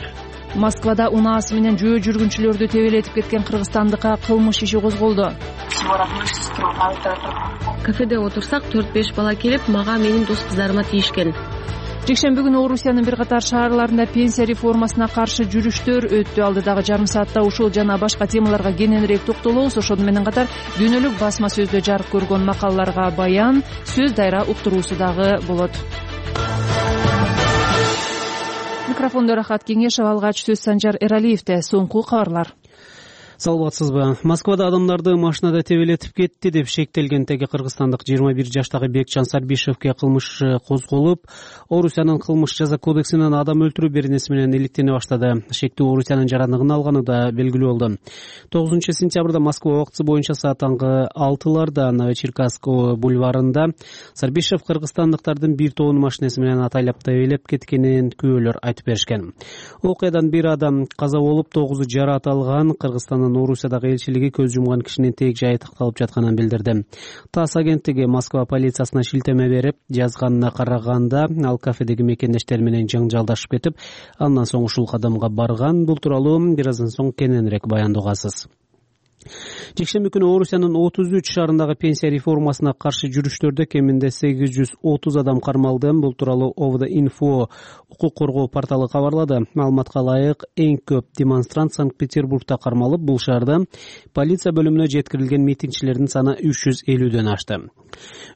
Москвада унаасы менен жөө жүргүнчүлөрдү тебелетип кеткен кыргызстандыкка кылмыш иши козголду. Кафеде отурсак төрт беш бала келип, мага менин дос кыздарыма тийишкен. Жекшемби күнү Орусиянын бир катар шаарларында пенсия реформасына каршы жүрүштөр өттү. Алдыдагы жарым саатта ушул жана башка темаларга кененирээк токтолобуз. Ошону менен катар дүйнөлүк басма сөздө жарык көргөн макалаларга баян, сөз дайра уктуруусу дагы болот. Микрофондо Рахат Кеңешев, алгач сөз Санжар Эралиевде. Соңку кабарлар. Саламатсызбы? Москвада адамдарды машинада тебелетип кетти деп шектелген теги кыргызстандык жыйырма бир жаштагы Бекчан Сарбишевке кылмыш козголуп, Орусиянын кылмыш жаза кодексинен адам өлтүрүү беренеси менен иликтене баштады. Шектүү Орусиянын жарандыгын алганы да белгилүү болду. тогузунчу сентябрда Москва убактысы боюнча саат таңкы алтыларда Новочеркасск бульварында Сарбишев кыргызстандыктардын бир тобун машинеси менен атайлап тебелеп кеткенин күбөлөр айтып беришкен. Окуядан бир адам каза болуп, тогузу жараат алган. Кыргызстандын Орусиядагы элчилиги көз жумган кишинин тег жайы такталып жатканын билдирди. ТАСС агенттиги Москва полициясына шилтеме берип, жазганына караганда ал кафедеги мекендештери менен жаңжалдашып кетип, андан соң ушул кадамга барган. Бул тууралуу бир аздан соң кененирээк баяндоосуз. Жекшемби күнү Орусиянын отуз үч шаарындагы пенсия реформасына каршы жүрүштөрдө кеминде сегиз жүз отуз адам кармалды. Бул тууралуу ОВД-Инфо укук коргоо порталы кабарлады. Маалыматка ылайык, эң көп демонстрант Санкт-Петербургда кармалып, бул шаарда полиция бөлүмүнө жеткирилген митингчилердин саны үч жүз элүүдөн ашты.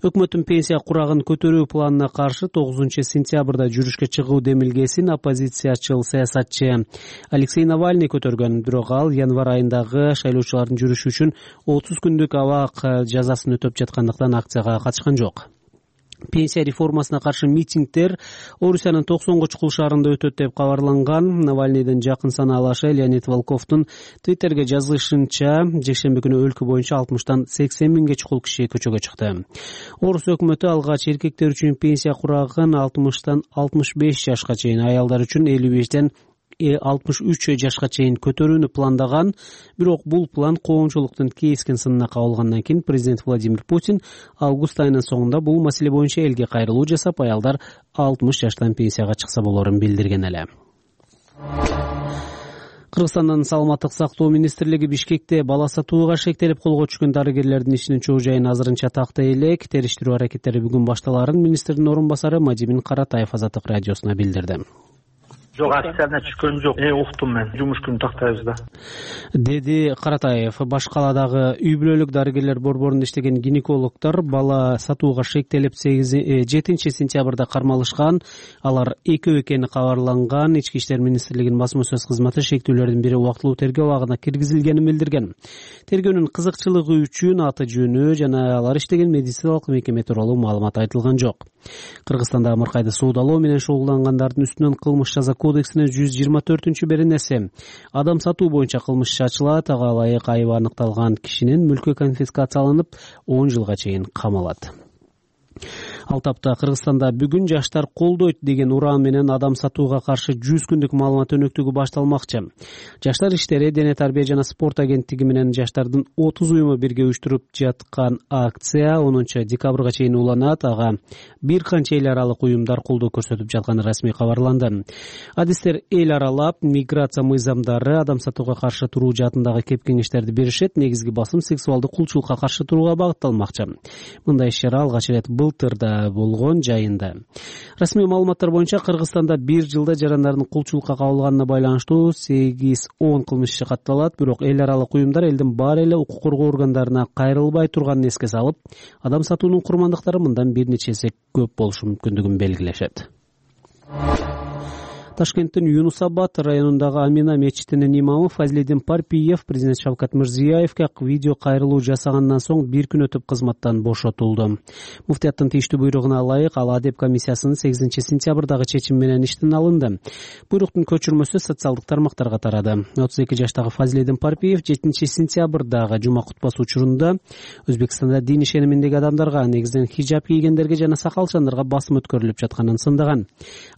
Өкмөттүн пенсия курагын көтөрүү планына каршы тогузунчу сентябрда жүрүшкө чыгуу демилгесин оппозициячыл саясатчы Алексей Навальный көтөргөн. Бирок ал январь айындагы шайлоочулардын жүрүшү үчүн отуз күндүк абак жазасын өтөп жаткандыктан акцияга катышкан жок. Пенсия реформасына каршы митингдер Орусиянын токсонго чукул шаарында өтөт деп кабарланган. Навальныйдын жакын санаалашы Леонид Волковдун Твиттерге жазышынча, жекшемби күнү өлкө боюнча алтымыштан сексен миңге чукул киши көчөгө чыкты. Орус өкмөтү алгач эркектер үчүн пенсия курагын алтымыштан алтымыш беш жашка чейин, аялдар үчүн элүү бештен алтымыш үч жашка чейин көтөрүүнү пландаган. Бирок бул план коомчулуктун кескен сынына кабылгандан кийин президент Владимир Путин август айынын соңунда бул маселе боюнча элге кайрылуу жасап, аялдар алтымыш жаштан пенсияга чыкса болорун билдирген эле. Кыргызстандын саламаттык сактоо министрлиги Бишкекте бала сатууга шектелип колго түшкөн дарыгерлердин ишинин чоо жайын азырынча тактай элек. Териштирүү аракеттери бүгүн башталарын министрдин орун басары Мадимин Каратаев Азаттык радиосуна билдирди. Жок, официально түшкөн жок. Э, уктум мен. Жумуш күнү тактайбыз да. Деди Каратаев. Баш каладагы үй бүлөлүк дарыгерлер борборунда иштеген гинекологдор бала сатууга шектелип жетинчи сентябрда кармалышкан. Алар экөө экени кабарланган. Ички иштер министрлигинин басма сөз кызматы шектүүлөрдүн бири убактылуу тергөө абагына киргизилгенин билдирген. Тергөөнүн кызыкчылыгы үчүн аты жөнү жана алар иштеген медициналык мекеме тууралуу маалымат айтылган жок. Кыргызстанда амыркайды суудалоо менен шогулдангандардын үстүнөн кылмыш жаза кодексинин жүз жыйырма төртүнчү беренеси адам сатуу боюнча кылмыш иши ачылат. Ага ылайык айыбы аныкталган кишинин мүлкү конфискацияланып он жылга чейин камалат. Ал тапта Кыргызстанда бүгүн жаштар колдойт деген уран менен адам сатууга каршы жүз күндүк маалымат өнөктүгү башталмакчы. Жаштар иштери Дене тарбия жана спорт агенттиги менен жаштардын отуз уюму бирге уюштуруп жаткан акция онунчу декабрга чейин уланат. Ага бир канча эл аралык уюмдар колдоо көрсөтүп жатканы расмий кабарланды. Адистер эл аралап миграция мыйзамдары, адам сатууга каршы туруу жаатындагы кеп кеңештерди беришет. Негизги басым сексуалдык кулчулукка каршы турууга багытталмакчы. Мындай иш-чара алгач ирет былтырда болгон жайында. Расмий маалыматтар боюнча Кыргызстанда бир жылда жарандардын кулчулукка кабылганына байланыштуу сегиз он кылмыш иши катталат. Бирок эл аралык уюмдар элдин баары эле укук коргоо органдарына кайрылбай турганын эске салып, адам сатуунун курмандыктары мындан бир нече эсе көп болушу мүмкүндүгүн белгилешет. Ташкенттин Юнус Абад районундагы Амина мечитинин имамы Фазлидин Парпиев президент Шавкат Мирзиёевге видео кайрылуу жасагандан соң бир күн өтүп кызматтан бошотулду. Муфтияттын тийиштүү буйругуна ылайык ал Адеп комиссиясынын сегизинчи сентябрдагы чечими менен иштен алынды. Буйруктун көчүрмөсү социалдык тармактарга тарады. отуз эки жаштагы Фазлидин Парпиев жетинчи сентябрдагы жума кутбасы учурунда Өзбекстанда дин ишениминдеги адамдарга, негизинен хиджаб кийгендерге жана сакалчандарга басым өткөрүлүп жатканын сындаган.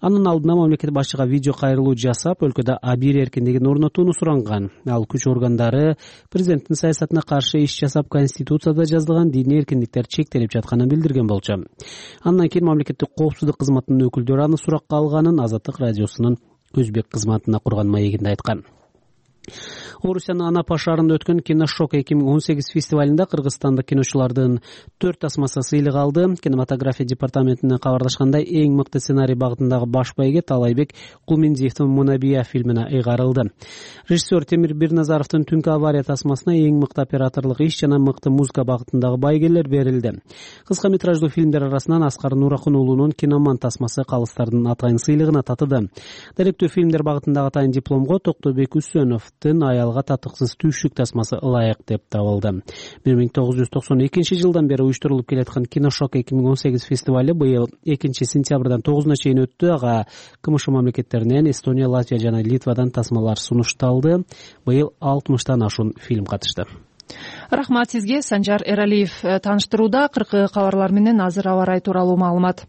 Анын алдына мамлекет башчыга видео кайрылуу жасап, өлкөдө абийир эркиндигин орнотууну суранган. Ал күч органдары президенттин саясатына каршы иш жасап, Конституцияда жазылган диний эркиндиктер чектелип жатканын билдирген болчу. Андан кийин мамлекеттик коопсуздук кызматынын өкүлдөрү аны суракка алганын Азаттык радиосунун өзбек кызматына курган маегинде айткан. Орусиянын Анапа шаарында өткөн Киношок эки миң он сегиз фестивалында кыргызстандык киночулардын төрт тасмасы сыйлык алды. Кинематография департаментинен кабарлашкандай, эң мыкты сценарий багытындагы баш байге Талайбек Кулмендиевдин Мунабия фильмине ыйгарылды. Режиссер Темир Бирназаровдун Түнкү авария тасмасына эң мыкты операторлук иш жана мыкты музыка багытындагы байгелер берилди. Кыска метраждуу фильмдер арасынан Аскар Нуракун уулунун Киноман тасмасы калыстардын атайын сыйлыгына татыды. Даректүү фильмдер багытындагы атайын дипломго Токтобек Үсөновдун Аялга татыксыз түйшүк тасмасы ылайык деп табылды. бир миң тогуз жүз токсон экинчи жылдан бери уюштурулуп келаткан Киношок эки миң он сегиз фестивалы быйыл экинчи сентябрдан тогузуна чейин өттү. Ага КМШ мамлекеттеринен Эстония, Латвия жана Литвадан тасмалар сунушталды. Быйыл алтымыштан ашуун фильм катышты. Рахмат сизге, Санжар Эралиев. Тааныштырууда кыркы кабарлар менен азыр аба ырайы тууралуу маалымат.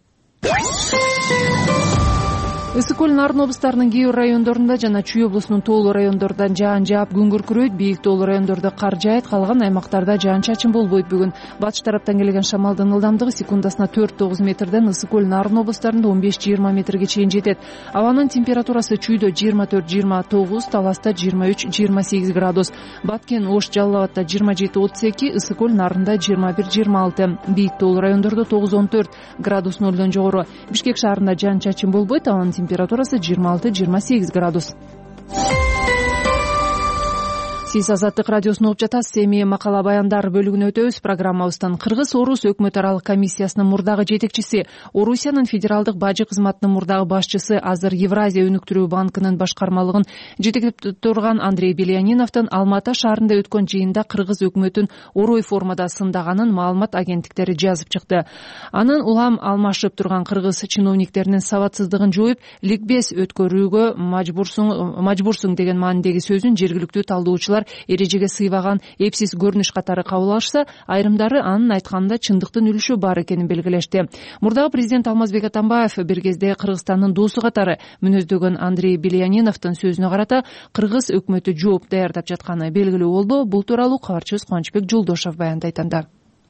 Ысык көл Нарын облустарынын кээ бир райондорунда жана Чүй облусунун тоолуу райондорунда жаан жаап күн күркүрөйт, бийик тоолуу райондордо кар жаайт, калган аймактарда жаан-чачын болбойт. Бүгүн батыш тараптан келген шамалдын ылдамдыгы секундасына төрт тогуз метрден Ысык көл Нарын облустарында он беш жыйырма метрге чейин жетет. Абанын температурасы Чүйдө жыйырма төрт жыйырма тогуз, Таласта жыйырма үч жыйырма сегиз градус, Баткен, Ош, Жалал Абадта жыйырма жети отуз эки, Ысык көл Нарында жыйырма бир жыйырма алты, бийик тоолуу райондордо тогуз он төрт градус нолдон жогору. Бишкек шаарында жаан-чачын болбойт, абанын температурасы жыйырма алты жыйырма сегиз градус. Сиз Азаттык радиосун угуп жатасыз. Эми макала баяндар бөлүгүнө өтөбүз. Программабыздын Кыргыз-Орус өкмөт аралык комиссиясынын мурдагы жетекчиси, Орусиянын федералдык бажы кызматынын мурдагы башчысы, азыр Евразия өнүктүрүү банкынын башкармалыгын жетектеп турган Андрей Беляниновдун Алматы шаарында өткөн жыйында кыргыз өкмөтүн орой формада сындаганын маалымат агенттиктери жазып чыкты. Анын улам алмашып турган кыргыз чиновниктеринин сабатсыздыгын жоюп, ликбез өткөрүүгө мажбурсуң мажбурсуң деген маанидеги сөзүн жергиликтүү талдоочулар эрежеге сыйбаган эпсиз көрүнүш катары кабыл алышса, айрымдары анын айтканында чындыктын үлүшү бар экенин белгилешти. Мурдагы президент Алмазбек Атамбаев бир кезде Кыргызстандын досу катары мүнөздөгөн Андрей Беляниновдун сөзүнө карата кыргыз өкмөтү жооп даярдап жатканы белгилүү болду. Бул тууралуу кабарчыбыз Кубанычбек Жолдошов баяндайт анда.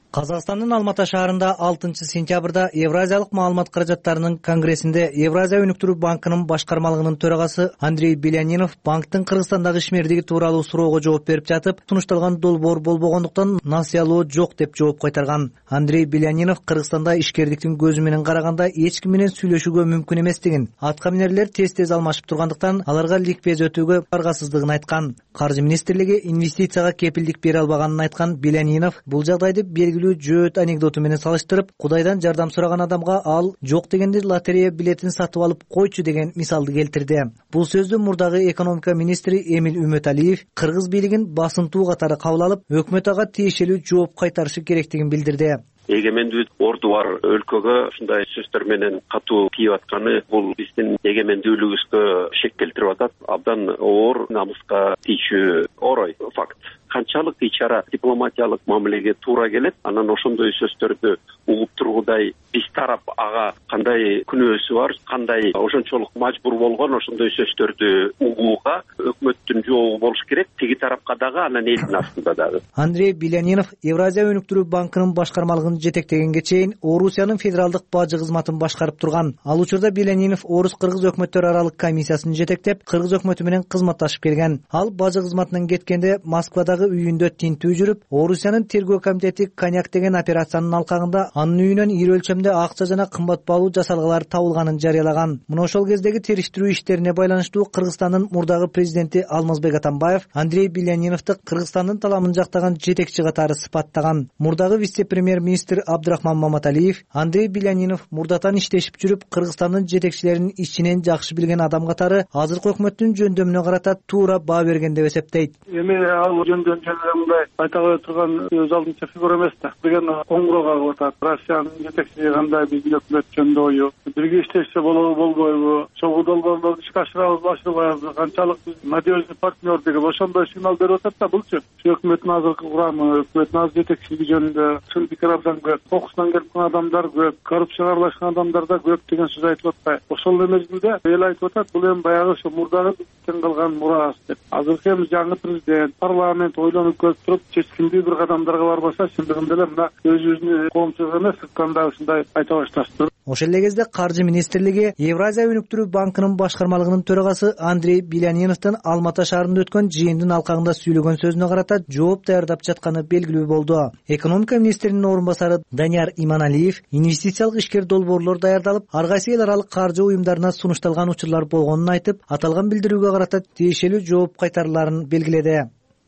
Казакстандын Алматы шаарында алтынчы сентябрда Евразиялык маалымат каражаттарынын конгрессинде Евразия өнүктүрүү банкынын башкармалыгынын төрагасы Андрей Белянинов банктын Кыргызстандагы ишмердиги тууралуу суроого жооп берип жатып, сунушталган долбоор болбогондуктан насыялоо жок деп жооп кайтарган. Андрей Белянинов Кыргызстанда ишкердиктин көзү менен караганда эч ким менен сүйлөшүүгө мүмкүн эместигин, атка минерлер тез-тез алмашып тургандыктан аларга ликбез өтүүгө баргасыздыгын айткан. Каржы министрлиги инвестицияга кепилдик бере албаганын айткан Белянинов бул жагдайды белгилүү жөөт анекдоту менен салыштырып, Кудайдан жардам сураган адамга ал жок дегенде лотерея билетин сатып алып койчу деген мисалды келтирди. Бул сөздү мурдагы экономика министри Эмил Үмөталиев кыргыз бийлигин басынтуу катары кабыл алып, өкмөт ага тиешелүү жооп кайтарышы керектигин билдирди. Эгемендүү орду бар өлкөгө ушундай сөздөр менен катуу тийип атканы бул биздин эгемендүүлүгүбүзгө шек келтирип атат. Абдан оор, намыска тийчү орой факт. Канчалык ичара дипломатиялык мамилеге туура келет, анан ошондой сөздөрдү угуп тургудай биз тарап ага кандай күнөөсү бар, кандай ошончолук мажбур болгон ошондой сөздөрдү угууга өкмөттүн жообу болуш керек. Тиги тарапка дагы, анан элдин артында дагы. Андрей Белянинов Евразия өнүктүрүү банкынын башкармалыгын жетектегенге чейин Орусиянын федералдык бажы кызматын башкарып турган. Ал учурда Белянинов Орус-Кыргыз өкмөттөр аралык комиссиясын жетектеп, кыргыз өкмөтү менен кызматташып келген. Ал бажы кызматынан кеткенде Москвада мурдагы үйүндө тинтүү жүрүп, Орусиянын тергөө комитети коньяк деген операциянын алкагында анын үйүнөн ири өлчөмдө акча жана кымбат баалуу жасалгалар табылганын жарыялаган. Мына ошол кездеги териштирүү иштерине байланыштуу Кыргызстандын мурдагы президенти Алмазбек Атамбаев Андрей Беляниновду Кыргызстандын таламын жактаган жетекчи катары сыпаттаган. Мурдагы вице-премьер-министр Абдрахман Маматалиев Андрей Белянинов мурдатан иштешип жүрүп, Кыргызстандын жетекчилерин ичинен жакшы билген адам катары азыркы өкмөттүн жөндөмүнө карата туура баа берген деп эсептейт. Эми ал жөндөм жөнүндө мындай айта кое турган өз алдынча фигура эмес да. Деген коңгуроо кагып атат. Россиянын жетекчиси кандай, биздин өкмөт жөнүндө ою, бирге иштешсе болобу болбойбу, чогуу долбоорлорду ишке ашырабызбы ашырбайбызбы, канчалык биз надежный партнер деген ошондой сигнал берип атат да. Булчу өкмөттүн азыркы курамы, өкмөттүн азыр жетекчилиги жөнүндө чын пикир абдан көп, кокусунан келип калган адамдар көп, коррупцияга аралашкан адамдар да көп деген сөз айтып атпайбы. Ошол мезгилде эл айтып атат, бул эми баягы ошо мурдагы бизден калган мурас деп. Азыркы эми жаңы президент, парламент ойлонуп көрүп туруп, чечкиндүү бир кадамдарга барбаса, чындыгында эле мына өзүбүздүн коомчулук эмес, сырттан да ушундай айта башташты. Ошол эле кезде Каржы министрлиги Евразия өнүктүрүү банкынын башкармалыгынын төрагасы Андрей Беляниновдун Алма ата шаарында өткөн жыйындын алкагында сүйлөгөн сөзүнө карата жооп даярдап жатканы белгилүү болду. Экономика министринин орун басары Данияр Иманалиев инвестициялык ишкер долбоорлор даярдалып, ар кайсы эл аралык каржы уюмдарына сунушталган учурлар болгонун айтып, аталган билдирүүгө карата тиешелүү жооп кайтарыларын белгиледи.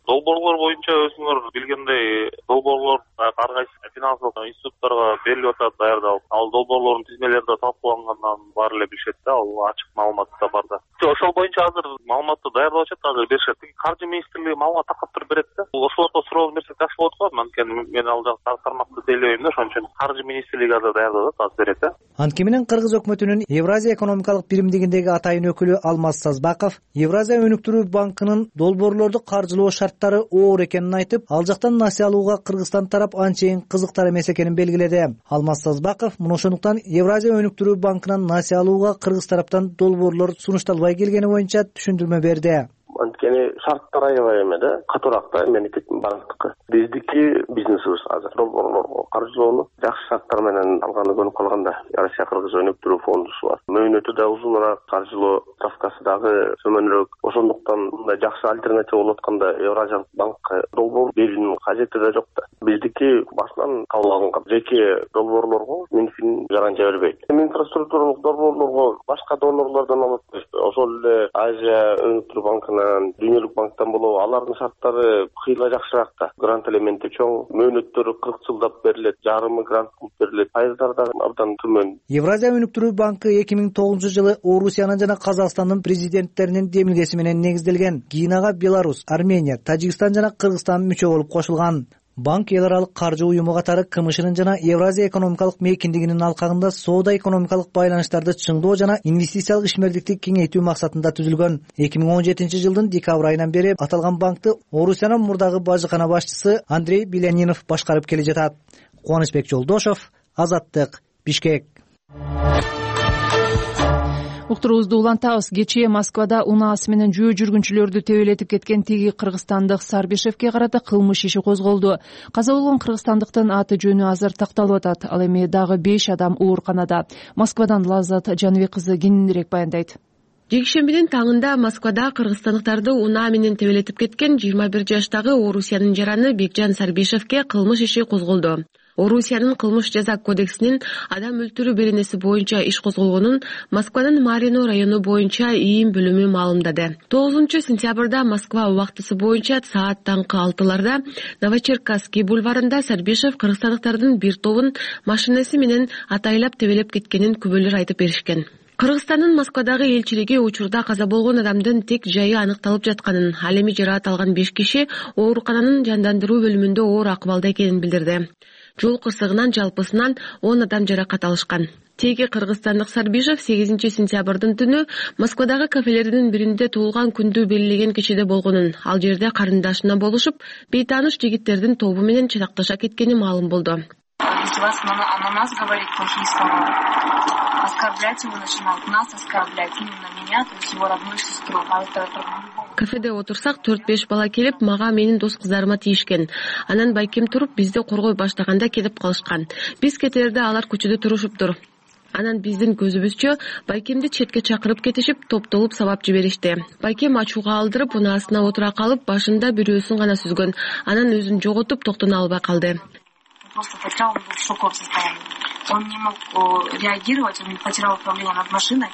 Долбоорлор боюнча өзүңөр билгендей, долбоорлор ар кайсы финансылык институттарга берилип атат, даярдалып. Ал долбоорлордун тизмелери да талкуулангандан баары эле билишет да, ал ачык маалымат да бар да. Ошол боюнча азыр маалыматты даярдап атышат, азыр беришет. Каржы министрлиги маалымат таркап туруп берет да. Ошолорго суроо берсек жакшы болот го. Анткени мен ал жакта тармакты тейлебейм да, ошон үчүн Каржы министрлиги азыр даярдап атат, азыр берет да. Анткени менен Кыргыз өкмөтүнүн Евразия экономикалык биримдигиндеги атайын өкүлү Алмаз Сазбаков Евразия өнүктүрүү банкынын долбоорлорду каржылоо шарттары оор экенин айтып, ал жактан насыя алууга Кыргызстан тарап анчейин кызыктар эмес экенин белгиледи. Алмаз Сазбаков мына ошондуктан Евразия өнүктүрүү банкынан насыя алууга Кыргыз тараптан долбоорлор сунушталбай келгени боюнча түшүндүрмө берди. Анткени шарттар аябай эме да, катуураак да мемлекеттин банктыкы. Биздики бизнесибиз азыр долбоорлорго каржылоону жакшы шарттар менен алганы көрүнүп калганда. Россия Кыргыз өнүктүрүү фондусу бар. Мөөнөтү да узуныраак, каржылоо ставкасы дагы төмөнүрөөк. Ошондуктан мындай жакшы альтернатива болуп атканда Евразиялык банкка долбоор берүүнүн кажети да жок да. Биздики башынан кабыл алынган жеке долбоорлорго Минфин гарантия бербейт. Инфраструктуралык долбоорлорго башка донорлордон алып, ошол эле Азия өнүктүрүү банкына, Дүйнөлүк банктан болобу, алардын шарттары кыйла жакшыраак да. Грант элементи чоң, мөөнөттөрү кырк жылдап берилет, жарымы грант кылып берилет, пайыздар да абдан төмөн. Евразия өнүктүрүү банкы эки миң тогузунчу жылы Орусиянын жана Казакстандын президенттеринин демилгеси менен негизделген. Кийин ага Беларусь, Армения, Тажикстан жана Кыргызстан мүчө болуп кошулган. Банк эл аралык каржы уюму катары КМШнын жана Евразия экономикалык мейкиндигинин алкагында соода экономикалык байланыштарды чыңдоо жана инвестициялык ишмердикти кеңейтүү максатында түзүлгөн. эки миң он жетинчи жылдын декабрь айынан бери аталган банкты Орусиянын мурдагы бажыкана башчысы Андрей Белянинов башкарып келе жатат. Кубанычбек Жолдошов, Азаттык, Бишкек. Уктуруубузду улантабыз. Кечээ Москвада унаасы менен жөө жүргүнчүлөрдү тебелетип кеткен теги кыргызстандык Сарбишевке карата кылмыш иши козголду. Каза болгон кыргызстандыктын аты жөнү азыр такталып атат. Ал эми дагы беш адам ооруканада. Москвадан Лаззат Жаныбек кызы кененирээк баяндайт. Жекшембинин таңында Москвада кыргызстандыктарды унаа менен тебелетип кеткен жыйырма бир жаштагы Орусиянын жараны Бекжан Сарбишевке кылмыш иши козголду. Орусиянын кылмыш жаза кодексинин адам өлтүрүү беренеси боюнча иш козголгонун Москванын Марино району боюнча ийин бөлүмү маалымдады. тогузунчу сентябрда Москва убактысы боюнча саат таңкы алтыларда Новочеркасский бульварында Сарбишев кыргызстандыктардын бир тобун машинеси менен атайлап тебелеп кеткенин күбөлөр айтып беришкен. Кыргызстандын Москвадагы элчилиги учурда каза болгон адамдын тек жайы аныкталып жатканын, ал эми жараат алган беш киши оорукананын жандандыруу бөлүмүндө оор акыбалда экенин билдирди. Жол кырсыгынан жалпысынан он адам жаракат алышкан. Теги кыргызстандык Сарбишев сегизинчи сентябрдын түнү Москвадагы кафелердин биринде туулган күндү белгилеген кечиде болгонун, ал жерде карындашына болушуп, бейтааныш жигиттердин тобу менен чатакташа кеткени маалым болду. Если вас на, на нас говорит плохие слова, оскорблять его начинают, нас оскорблять, именно меня, то есть его родную сестру. А это... Кафеде отурсак төрт-беш бала келип, мага менин дос кыздарыма тийишкен. Анан байкем туруп, бизди коргой баштаганда кетип калышкан. Биз кетерде алар көчөдө турушуптур. Анан биздин көзүбүзчө байкемди четке чакырып кетишип, топтолуп сабап жиберишти. Байкем ачууга алдырып, унаасына отура калып, башында бирөөсүн гана сүзгөн. Анан өзүн жоготуп, токтоно албай калды. Просто потерял, он был в шоковом состоянии. Он не мог реагировать, он потерял управление над машиной.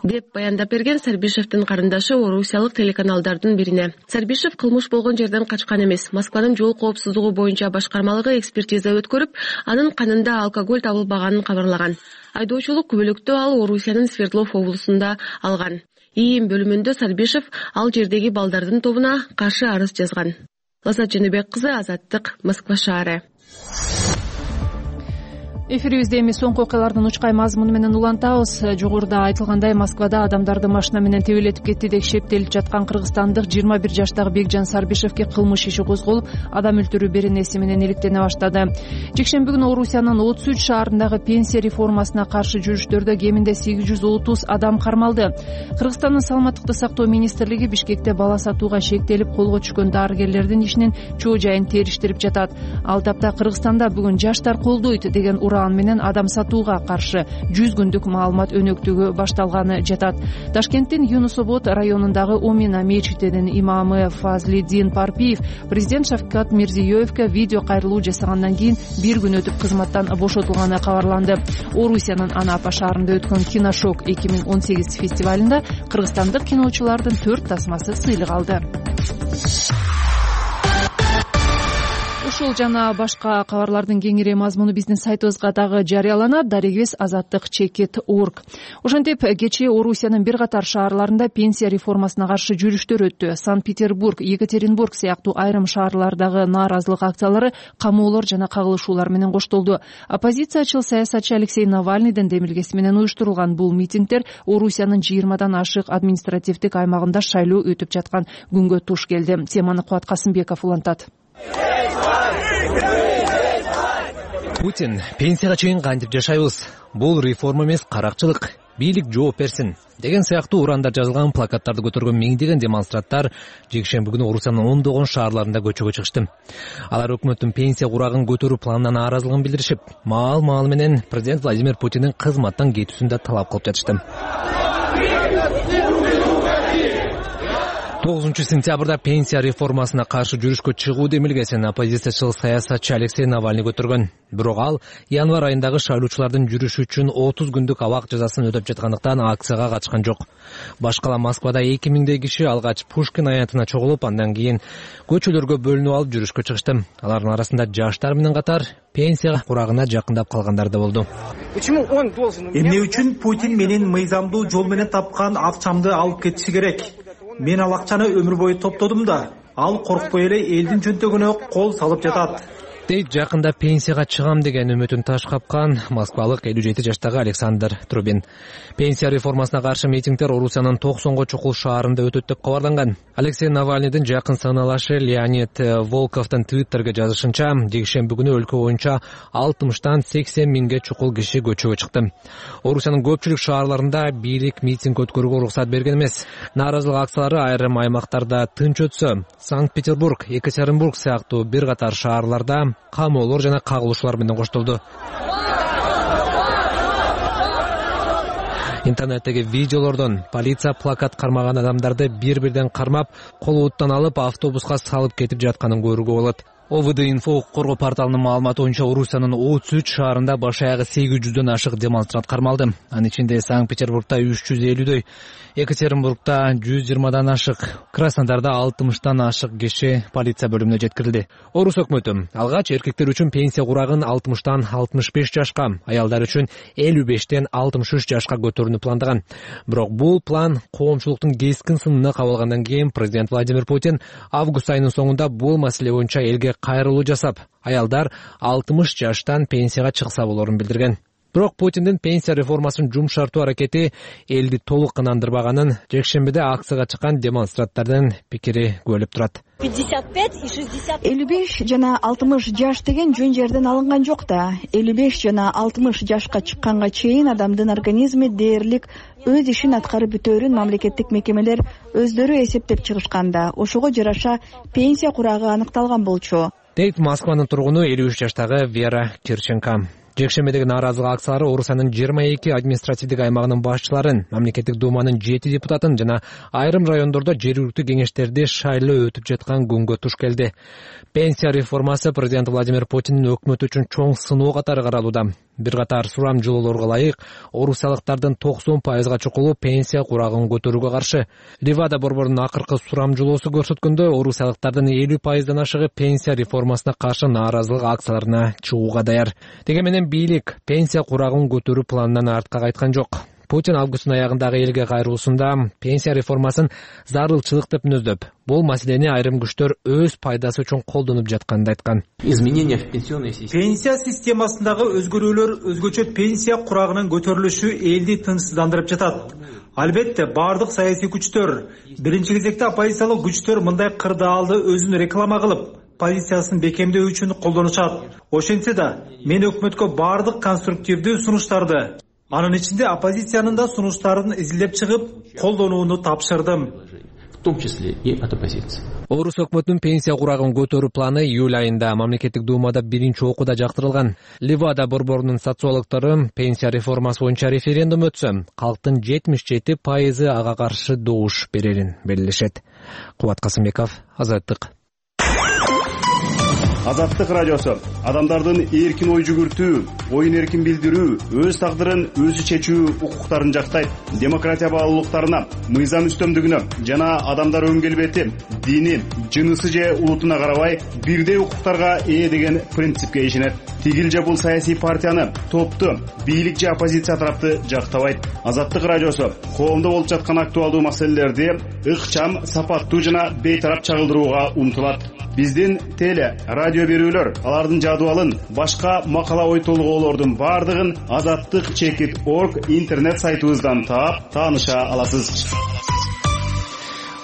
деп баяндап берген Сарбишевдин карындашы орусиялык телеканалдардын бирине. Сарбишев кылмыш болгон жерден качкан эмес. Москванын жол коопсуздугу боюнча башкармалыгы экспертиза өткөрүп, анын канында алкоголь табылбаганын кабарлаган. Айдоочулук күбөлүктү ал Орусиянын Свердлов облусунда алган. ИИМ бөлүмүндө Сарбишев ал жердеги балдардын тобуна каршы арыз жазган. Лазат Женебек кызы, Азаттык, Москва шаары. Эфирибизде эми соңку окуялардын учкай мазмуну менен улантабыз. Жогоруда айтылгандай, Москвада адамдарды машина менен тебелетип кетти деп шектелип жаткан кыргызстандык жыйырма бир жаштагы Бекжан Сарбишевке кылмыш иши козголуп, адам өлтүрүү беренеси менен иликтене баштады. Жекшемби күнү Орусиянын отуз үч шаарындагы пенсия реформасына каршы жүрүштөрдө кеминде сегиз жүз отуз адам кармалды. Кыргызстандын саламаттыкты сактоо министрлиги Бишкекте бала сатууга шектелип колго түшкөн дарыгерлердин ишинин чоо жайын териштирип жатат. Ал тапта Кыргызстанда бүгүн жаштар колдойт деген ураан менен адам сатууга каршы жүз күндүк маалымат өнөктүгү башталганы жатат. Ташкенттин Юнусобод районундагы Омина мечитинин имамы Фазлиддин Парпиев президент Шавкат Мирзиёевке видео кайрылуу жасагандан кийин бир күн өтүп кызматтан бошотулганы кабарланды. Орусиянын Анапа шаарында өткөн Киношок эки миң он сегиз фестивалында кыргызстандык киночулардын төрт тасмасы сыйлык алды. Ушул жана башка кабарлардын кеңири мазмуну биздин сайтыбызга дагы жарыяланат. Дарегибиз азаттык чекит точка орг. Ошентип, кечээ Орусиянын бир катар шаарларында пенсия реформасына каршы жүрүштөр өттү. Санкт-Петербург, Екатеринбург сыяктуу айрым шаарлардагы нааразылык акциялары камоолор жана кагылышуулар менен коштолду. Оппозициячыл саясатчы Алексей Навальныйдын демилгеси менен уюштурулган бул митингдер Орусиянын жыйырмадан ашык административдик аймагында шайлоо өтүп жаткан күнгө туш келди. Теманы Кубат Касымбеков улантат. Путин, пенсияга чейин кантип жашайбыз? Бул реформа эмес, каракчылык. Бийлик жооп берсин деген сыяктуу урандар жазылган плакаттарды көтөргөн миңдеген демонстранттар жекшемби күнү Орусиянын ондогон шаарларында көчөгө чыгышты. Алар өкмөттүн пенсия курагын көтөрүү планынан нааразылыгын билдиришип, маал-маал менен президент Владимир Путиндин кызматтан кетүүсүн да талап кылып жатышты. тогузунчу сентябрда пенсия реформасына каршы жүрүшкө чыгуу демилгесин оппозициячыл саясатчы Алексей Навальный көтөргөн. Бирок ал январь айындагы шайлоочулардын жүрүшү үчүн отуз күндүк абак жазасын өтөп жаткандыктан акцияга катышкан жок. Башкала Москвада эки миңдей киши алгач Пушкин аянтына чогулуп, андан кийин көчөлөргө бөлүнүп алып жүрүшкө чыгышты. Алардын арасында жаштар менен катар пенсия курагына жакындап калгандар да болду. Эмне үчүн Путин менин мыйзамдуу жол менен тапкан акчамды алып кетиши керек? Мен ал акчаны өмүр бою топтодум да, ал коркпой эле элдин жөнтөгүнө кол салып жатат. Дейт жакында пенсияга чыгам деген үмүтүн таш капкан москвалык элүү жети жаштагы Александр Трубин. Пенсия реформасына каршы митингдер Орусиянын токсонго чукул шаарында өтөт деп кабарланган. Алексей Навальныйдын жакын саналашы Леонид Волковдун Твиттерге жазышынча, жекшемби күнү өлкө боюнча алтымыштан сексен миңге чукул киши көчөгө чыкты. Орусиянын көпчүлүк шаарларында бийлик митинг өткөрүүгө уруксат берген эмес. Нааразылык акциялары айрым аймактарда тынч өтсө, Санкт-Петербург, Екатеринбург сыяктуу бир катар шаарларда камоолор жана кагылышуулар менен коштолду. Интернеттеги видеолордон полиция плакат кармаган адамдарды бир-бирден кармап, колубуттан алып автобуска салып кетип жатканын көрүүгө болот. ОВД-инфо укук коргоо порталынын маалыматы боюнча Орусиянын отуз үч шаарында баш аягы сегиз жүздөн ашык демонстрант кармалды. Анын ичинде Санкт-Петербургда үч жүз элүүдөй, Екатеринбургда жүз жыйырмадан ашык, Краснодарда алтымыштан ашык киши полиция бөлүмүнө жеткирилди. Орус өкмөтү алгач эркектер үчүн пенсия курагын алтымыштан алтымыш беш жашка, аялдар үчүн элүү бештен алтымыш үч жашка көтөрүүнү пландаган. Бирок бул план коомчулуктун кескин сынына кабылгандан кийин президент Владимир Путин август айынын соңунда бул маселе боюнча элге кайрылуу жасап, аялдар алтымыш жаштан пенсияга чыкса болорун билдирген. Бирок Путиндин пенсия реформасын жумшартуу аракети элди толук ынандырбаганын жекшембиде акцияга чыккан демонстранттардын пикири күбөлөп турат. элүү беш жана алтымыш жаш деген жөн жерден алынган жок да. элүү беш жана алтымыш жашка чыкканга чейин адамдын организми дээрлик өз ишин аткарып бүтөөрүн мамлекеттик мекемелер өздөрү эсептеп чыгышкан да. Ошого жараша пенсия курагы аныкталган болчу. Дейт Москванын тургуну элүү үч жаштагы Вера Кирченко. Жекшембидеги нааразылык акциялары Орусиянын жыйырма эки административдик аймагынын башчыларын, мамлекеттик думанын жети депутатын жана айрым райондордо жергиликтүү кеңештерди шайлоо өтүп жаткан күнгө туш келди. Пенсия реформасы президент Владимир Путиндин өкмөтү үчүн чоң сыноо катары каралууда. Бир катар сурамжылоолорго ылайык орусиялыктардын токсон пайызга чукулу пенсия курагын көтөрүүгө каршы. Ливада борборунун акыркы сурамжылоосу көрсөткөндөй, орусиялыктардын элүү пайыздан ашыгы пенсия реформасына каршы нааразылык акцияларына чыгууга даяр. Деги менен бийлик пенсия курагын көтөрүү планынан артка кайткан жок. Путин августтун аягындагы элге кайрылуусунда пенсия реформасын зарылчылык деп мүнөздөп, бул маселени айрым күчтөр өз пайдасы үчүн колдонуп жатканын айткан. Изменения в пенсионной системе. Пенсия системасындагы өзгөрүүлөр өзгөчө пенсия курагынын көтөрүлүшү элди тынчсыздандырып жатат. Албетте, бардык саясий күчтөр, биринчи кезекте оппозициялык күчтөр мындай кырдаалды өзүн реклама кылып, позициясын бекемдөө үчүн колдонушат. Ошентсе да, мен өкмөткө бардык конструктивдүү сунуштарды, анын ичинде оппозициянын да сунуштарын изилдеп чыгып, колдонууну тапшырдым. В том числе и от оппозиции. Орус өкмөтүнүн пенсия курагын көтөрүү планы июль айында мамлекеттик думада биринчи окууда жактырылган. Ливада борборунун социологдору пенсия реформасы боюнча референдум өтсө, калктын жетимиш жети пайызы ага каршы добуш берерин белгилешет. Кубат Касымбеков, Азаттык. Азаттык радиосу адамдардын эркин ой жүгүртүү, оюн эркин билдирүү, өз тагдырын өзү чечүү укуктарын жактайт. Демократия баалуулуктарына, мыйзам үстөмдүгүнө жана адамдар өн келбети, дини, жынысы же улутуна карабай бирдей укуктарга ээ деген принципке ишенет. Тигил же бул саясий партияны, топту, бийлик же оппозиция тарапты жактабайт. Азаттык радиосу коомдо болуп жаткан актуалдуу маселелерди ыкчам, сапаттуу жана бейтарап чагылдырууга умтулат. Биздин теле, радио берүүлөр, алардын жадыбалын, башка макала ой толгоолордун бардыгын азаттык чекит орг интернет сайтыбыздан таап, тааныша аласыз.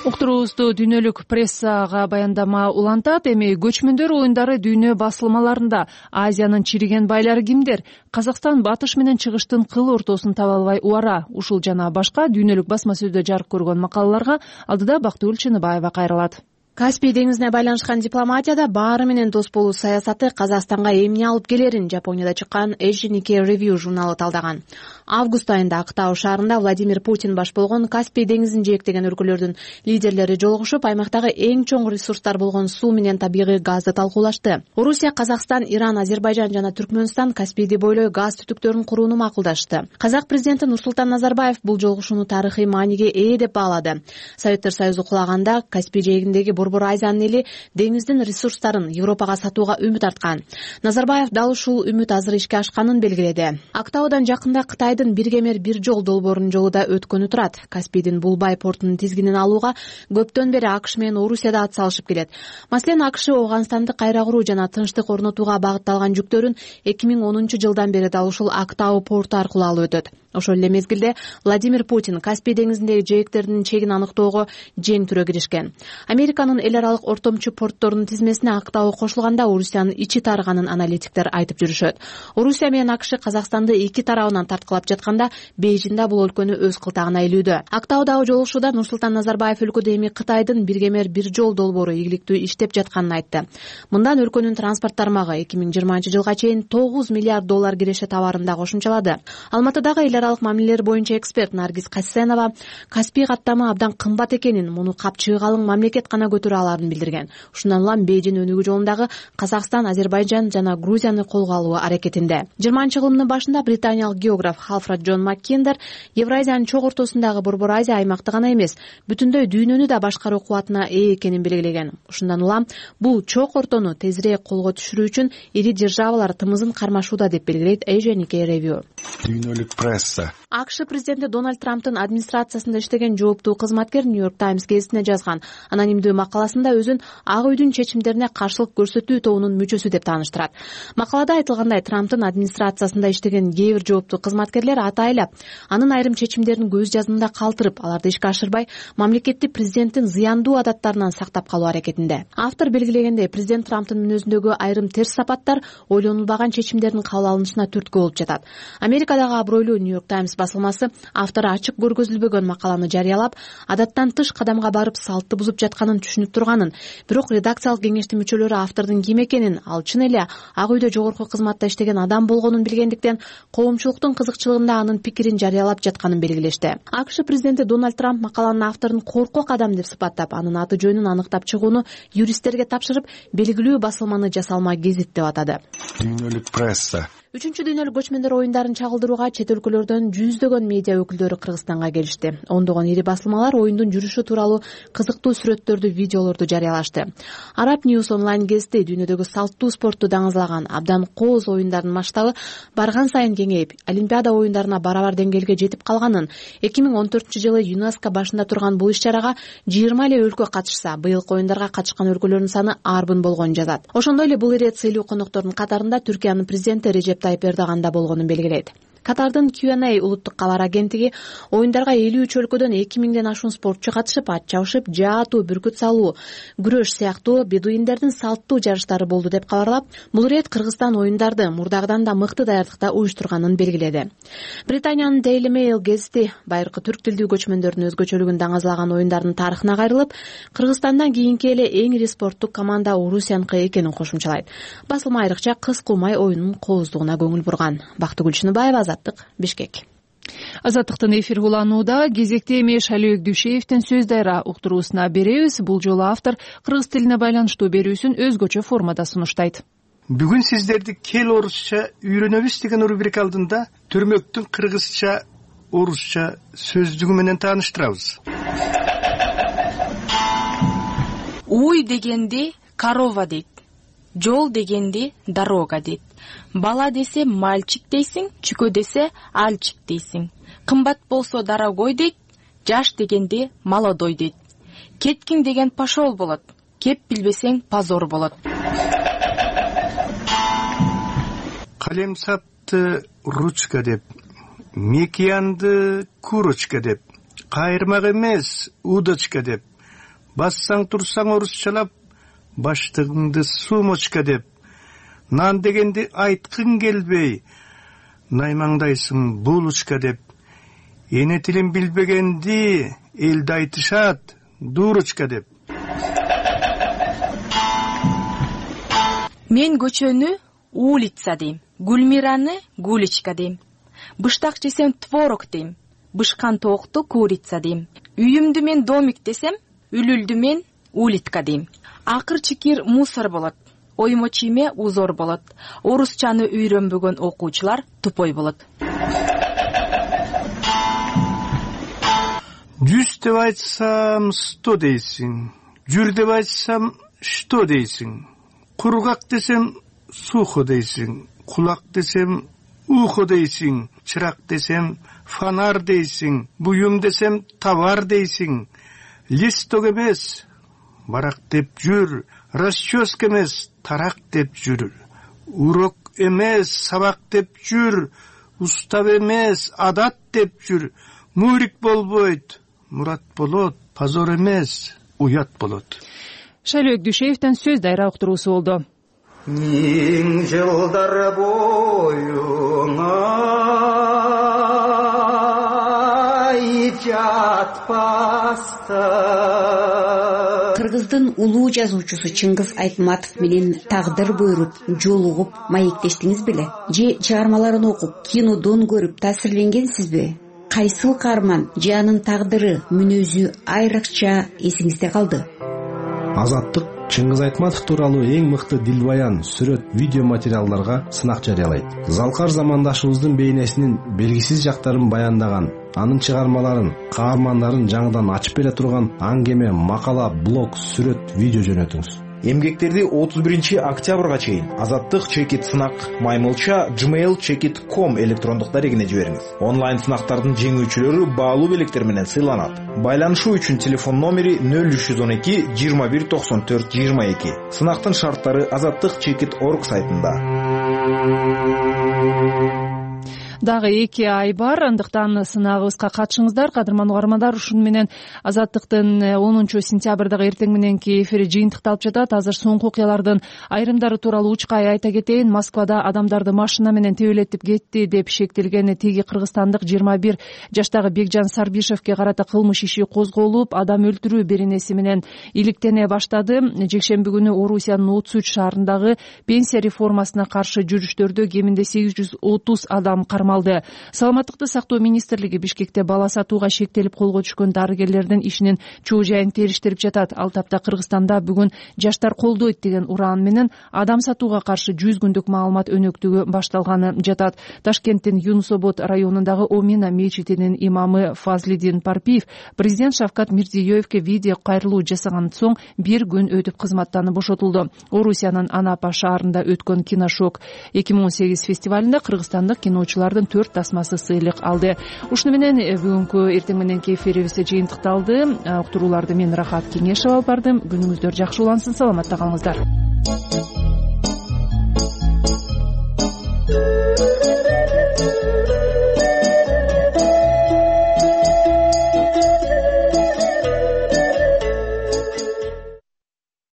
Уктуруубузду дүйнөлүк прессага баяндама улантат. Эми көчмөндөр оюндары дүйнө басылмаларында Азиянын чириген байлары кимдер? Казакстан батыш менен чыгыштын кыл ортосун таба албай убара. Ушул жана башка дүйнөлүк басма сөздө жарык көргөн макалаларга алдыда Бактыгүл Чыныбаева кайрылат. Каспий деңизине байланышкан дипломатияда баары менен дос болуу саясаты Казакстанга эмне алып келерин Жапонияда чыккан Asian Nikkei Review журналы талдаган. Август айында Актау шаарында Владимир Путин баш болгон Каспий деңизин жээктеген өлкөлөрдүн лидерлери жолугушуп, аймактагы эң чоң ресурстар болгон суу менен табигый газды талкуулашты. Орусия, Казакстан, Иран, Азербайжан жана Түркмөнстан Каспийди бойлой газ түтүктөрүн курууну макулдашты. Казак президенти Нурсултан Назарбаев бул жолугушууну тарыхый мааниге ээ деп баалады. Советтер Союзу кулаганда Каспий жээгиндеги Борбор Азиянын эли деңиздин ресурстарын Европага сатууга үмүт арткан. Назарбаев дал ушул үмүт азыр ишке ашканын белгиледи. Актаудан жакында Кытайдын бир кемер бир жол долбоорунун жолу да өткөнү турат. Каспийдин Булбай портунун тизгинин алууга көптөн бери АКШ менен Орусия да ат салышып келет. Маселен, АКШ Ооганстанды кайра куруу жана тынчтык орнотууга багытталган жүктөрүн эки миң онунчу жылдан бери дал ушул Актау порту аркылуу алып өтөт. Ошол эле мезгилде Владимир Путин Каспий деңизиндеги жээктердин чегин аныктоого жең түрө киришкен. Американын эл аралык ортомчу портторунун тизмесине Актау кошулганда Орусиянын ичи тарыганын аналитиктер айтып жүрүшөт. Орусия менен АКШ Казакстанды эки тарабынан тарткылап жатканда, Бейжиң да бул өлкөнү өз кылтагына илүүдө. Актаудагы жолугушууда Нурсултан Назарбаев өлкөдө эми Кытайдын бир кемер бир жол долбоору ийгиликтүү иштеп жатканын айтты. Мындан өлкөнүн транспорт тармагы эки миң жыйырманчы жылга чейин тогуз миллиард доллар киреше товарын да кошумчалады. Алматыдагы эл аралык мамилелер боюнча эксперт Наргиз Касенова Каспий каттамы абдан кымбат экенин, муну капчыгы калың мамлекет гана көтөрө аларын билдирген. Ушундан улам Бейжиң өнүгүү жолундагы Казакстан, Азербайжан жана Грузияны колго алуу аракетинде. жыйырманчы кылымдын башында британиялык географ Халфред Джон Маккендер Евразиянын чоң ортосундагы Борбор Азия аймакты гана эмес, бүтүндөй дүйнөнү да башкаруу кубатына ээ экенин белгилеген. Ушундан улам бул чоң ортону тезирээк колго түшүрүү үчүн ири державалар тымызын кармашууда деп белгилейт Asian Nikkei Review. Дүйнөлүк пресса. АКШ президенти Дональд Трамптын администрациясында иштеген жооптуу кызматкер Нью-Йорк Таймс гезитине жазган анонимдүү макаласында өзүн Ак үйдүн чечимдерине каршылык көрсөтүү тобунун мүчөсү деп тааныштырат. Макалада айтылгандай, Трамптын администрациясында иштеген кээ бир жооптуу кызматкерлер атайлап анын айрым чечимдерин көз жазымында калтырып, аларды ишке ашырбай, мамлекетти президенттин зыяндуу адаттарынан сактап калуу аракетинде. Автор белгилегендей, президент Трамптын мүнөзүндөгү айрым терс сапаттар ойлонулбаган чечимдердин кабыл алынышына түрткү болуп жатат. Америкадагы абройлуу Нью-Йорк Таймс басылмасы автору ачык көргөзүлбөгөн макаланы жарыялап, адаттан тыш кадамга барып салтты бузуп жатканын түшүнүп турганын, бирок редакциялык кеңештин мүчөлөрү автордун ким экенин, ал чын эле Ак үйдө жогорку кызматта иштеген адам болгонун билгендиктен, коомчулуктун кызыкчылыгында анын пикирин жарыялап жатканын белгилешти. АКШ президенти Дональд Трамп макаланын авторун коркок адам деп сыпаттап, анын аты жөнүн аныктап чыгууну юристтерге тапшырып, белгилүү басылманы жасалма гезит деп атады. Дүйнөлүк пресса үчүнчү дүйнөлүк көчмөндөр оюндарын чагылдырууга чет өлкөлөрдөн жүздөгөн медиа өкүлдөрү Кыргызстанга келишти. Ондогон ири басылмалар оюндун жүрүшү тууралуу кызыктуу сүрөттөрдү, видеолорду жарыялашты. Arab News онлайн гезити дүйнөдөгү салттуу спортту даңызлаган абдан кооз оюндардын масштабы барган сайын кеңейип, Олимпиада оюндарына барабар деңгээлге жетип калганын, эки миң он төртүнчү жылы ЮНЕСКО башында турган бул иш-чарага жыйырма эле өлкө катышса, быйылкы оюндарга катышкан өлкөлөрдүн саны арбын болгонун жазат. Ошондой эле бул ирет сыйлуу коноктордун катарында Түркиянын президенти Режеп Тайып Эрдоган да болгонун белгилейт. Катардын Q and A улуттук кабар агенттиги оюндарга элүү үч өлкөдөн эки миңден ашуун спортчу катышып, ат чабышып, жаатуу, бүркүт салуу, күрөш сыяктуу бедуиндердин салттуу жарыштары болду деп кабарлап, бул ирет Кыргызстан оюндарды мурдагыдан да мыкты даярдыкта уюштурганын белгиледи. Британиянын Daily Mail гезити байыркы түрк тилдүү көчмөндөрдүн өзгөчөлүгүн даңазлаган оюндардын тарыхына кайрылып, Кыргызстандан кийинки эле эң ири спорттук команда Орусияныкы экенин кошумчалайт. Басылма айрыкча кыз кулмай оюнунун кооздугуна көңүл бурган. Бактыгүл Чыныбаева, Азаттык, Бишкек. Азаттыктын эфир уланууда кезекте эми Шалибек Дүйшеевдин сөз дайра уктуруусуна беребиз. Бул жолу автор кыргыз тилине байланыштуу берүүсүн өзгөчө формада сунуштайт. Бүгүн сиздерди кел орусча үйрөнөбүз деген рубрика алдында Төрмөктүн кыргызча, орусча сөздүгү менен тааныштырабыз. Уй дегенди корова дейт. Жол дегенди дорога дейт. Бала десе мальчик дейсиң, чүкө десе альчик дейсиң. Кымбат болсо дорогой дейт, жаш дегенди молодой дейт. Кеткиң деген пошол болот, кеп билбесең позор болот. Калемсапты ручка деп, мекиянды курочка деп, кайырмак эмес удочка деп, бассаң турсаң орусчалап, баштыгыңды сумочка деп, нан дегенди айткың келбей, наймаңдайсың булочка деп, эне тилин билбегенди элде айтышат дурочка деп. Мен көчөнү улица дейм, Гүлмираны гуличка дейм. Быштак жесем творог дейм, бышкан тоокту курица дейм. Үйүмдү мен домик десем, үлүлдү мен улитка дейм. Акыр чикир мусор болот, оймо чийме узор болот. Орусчаны үйрөнбөгөн окуучулар тупой болот. Жүз деп айтсам сто дейсиң, жүр деп айтсам что дейсиң, кургак десем сухо дейсиң, кулак десем ухо дейсиң, чырак десем фонар дейсиң, буюм десем товар дейсиң, листок эмес барак деп жүр, расческа эмес тарак деп жүр, урок эмес сабак деп жүр, устав эмес адат деп жүр, мурик болбойт, мурат болот, позор эмес уят болот. Шалибек Дүйшеевдин сөз дайра уктуруусу болду. Миң жылдар боюңа жатпаста. Кыргыздын улуу жазуучусу Чыңгыз Айтматов менен тагдыр буйруп, жолугуп, маектештиңиз беле? Же чыгармаларын окуп, кинодон көрүп таасирленгенсизби? Кайсыл каарман же анын тагдыры, мүнөзү айрыкча эсиңизде калды? Азаттык Чыңгыз Айтматов тууралуу эң мыкты дилбаян, сүрөт, видео материалдарга сынак жарыялайт. Залкар замандашыбыздын бейнесинин белгисиз жактарын баяндаган, анын чыгармаларын, каармандарын жаңыдан ачып бере турган аңгеме, макала, блог, сүрөт, видео жөнөтүңүз. Эмгектерди отуз биринчи октябрга чейин Азаттык чекит сынак маймылча gmail чекит ком электрондук дарегине жибериңиз. Онлайн сынактардын жеңүүчүлөрү баалуу белектер менен сыйланат. Байланышуу үчүн телефон номери нөл үч жүз он эки жыйырма бир токсон төрт жыйырма эки. Сынактын шарттары азаттык чекит точка орг сайтында. дагы эки ай бар, андыктан сынагыбызга катышыңыздар. Кадырман угармандар, ушуну менен Азаттыктын онунчу сентябрдагы эртең мененки эфири жыйынтыкталып жатат. Азыр соңку окуялардын айрымдары тууралуу учкай айта кетейин. Москвада адамдарды машина менен тебелетип кетти деп шектелген тиги кыргызстандык жыйырма бир жаштагы Бекжан Сарбишевке карата кылмыш иши козголуп, адам өлтүрүү беренеси менен иликтене баштады. Жекшемби күнү Орусиянын Отсуч шаарындагы пенсия реформасына каршы жүрүштөрдө кеминде сегиз жүз отуз адам кармалды. Саламаттыкты сактоо министрлиги Бишкекте бала сатууга шектелип колго түшкөн дарыгерлердин ишинин чоо жайын териштирип жатат. Ал тапта Кыргызстанда бүгүн жаштар колдойт деген ураан менен адам сатууга каршы жүз күндүк маалымат өнөктүгү башталганы жатат. Ташкенттин Юнус Обод районундагы Омина мечитинин имамы Фазлидин Парпиев президент Шавкат Мирзиёевке видео кайрылуу жасагандан соң бир күн өтүп кызматтан бошотулду. Орусиянын Анапа шаарында өткөн Киношок эки миң он сегиз фестивалында кыргызстандык киночулардын төрт тасмасы сыйлык алды. Ушуну менен бүгүнкү эртең мененки эфирибиз жыйынтыкталды. Уктурууларды мен Рахат Кеңешева алып бардым. Күнүңүздөр жакшы улансын, саламатта калыңыздар.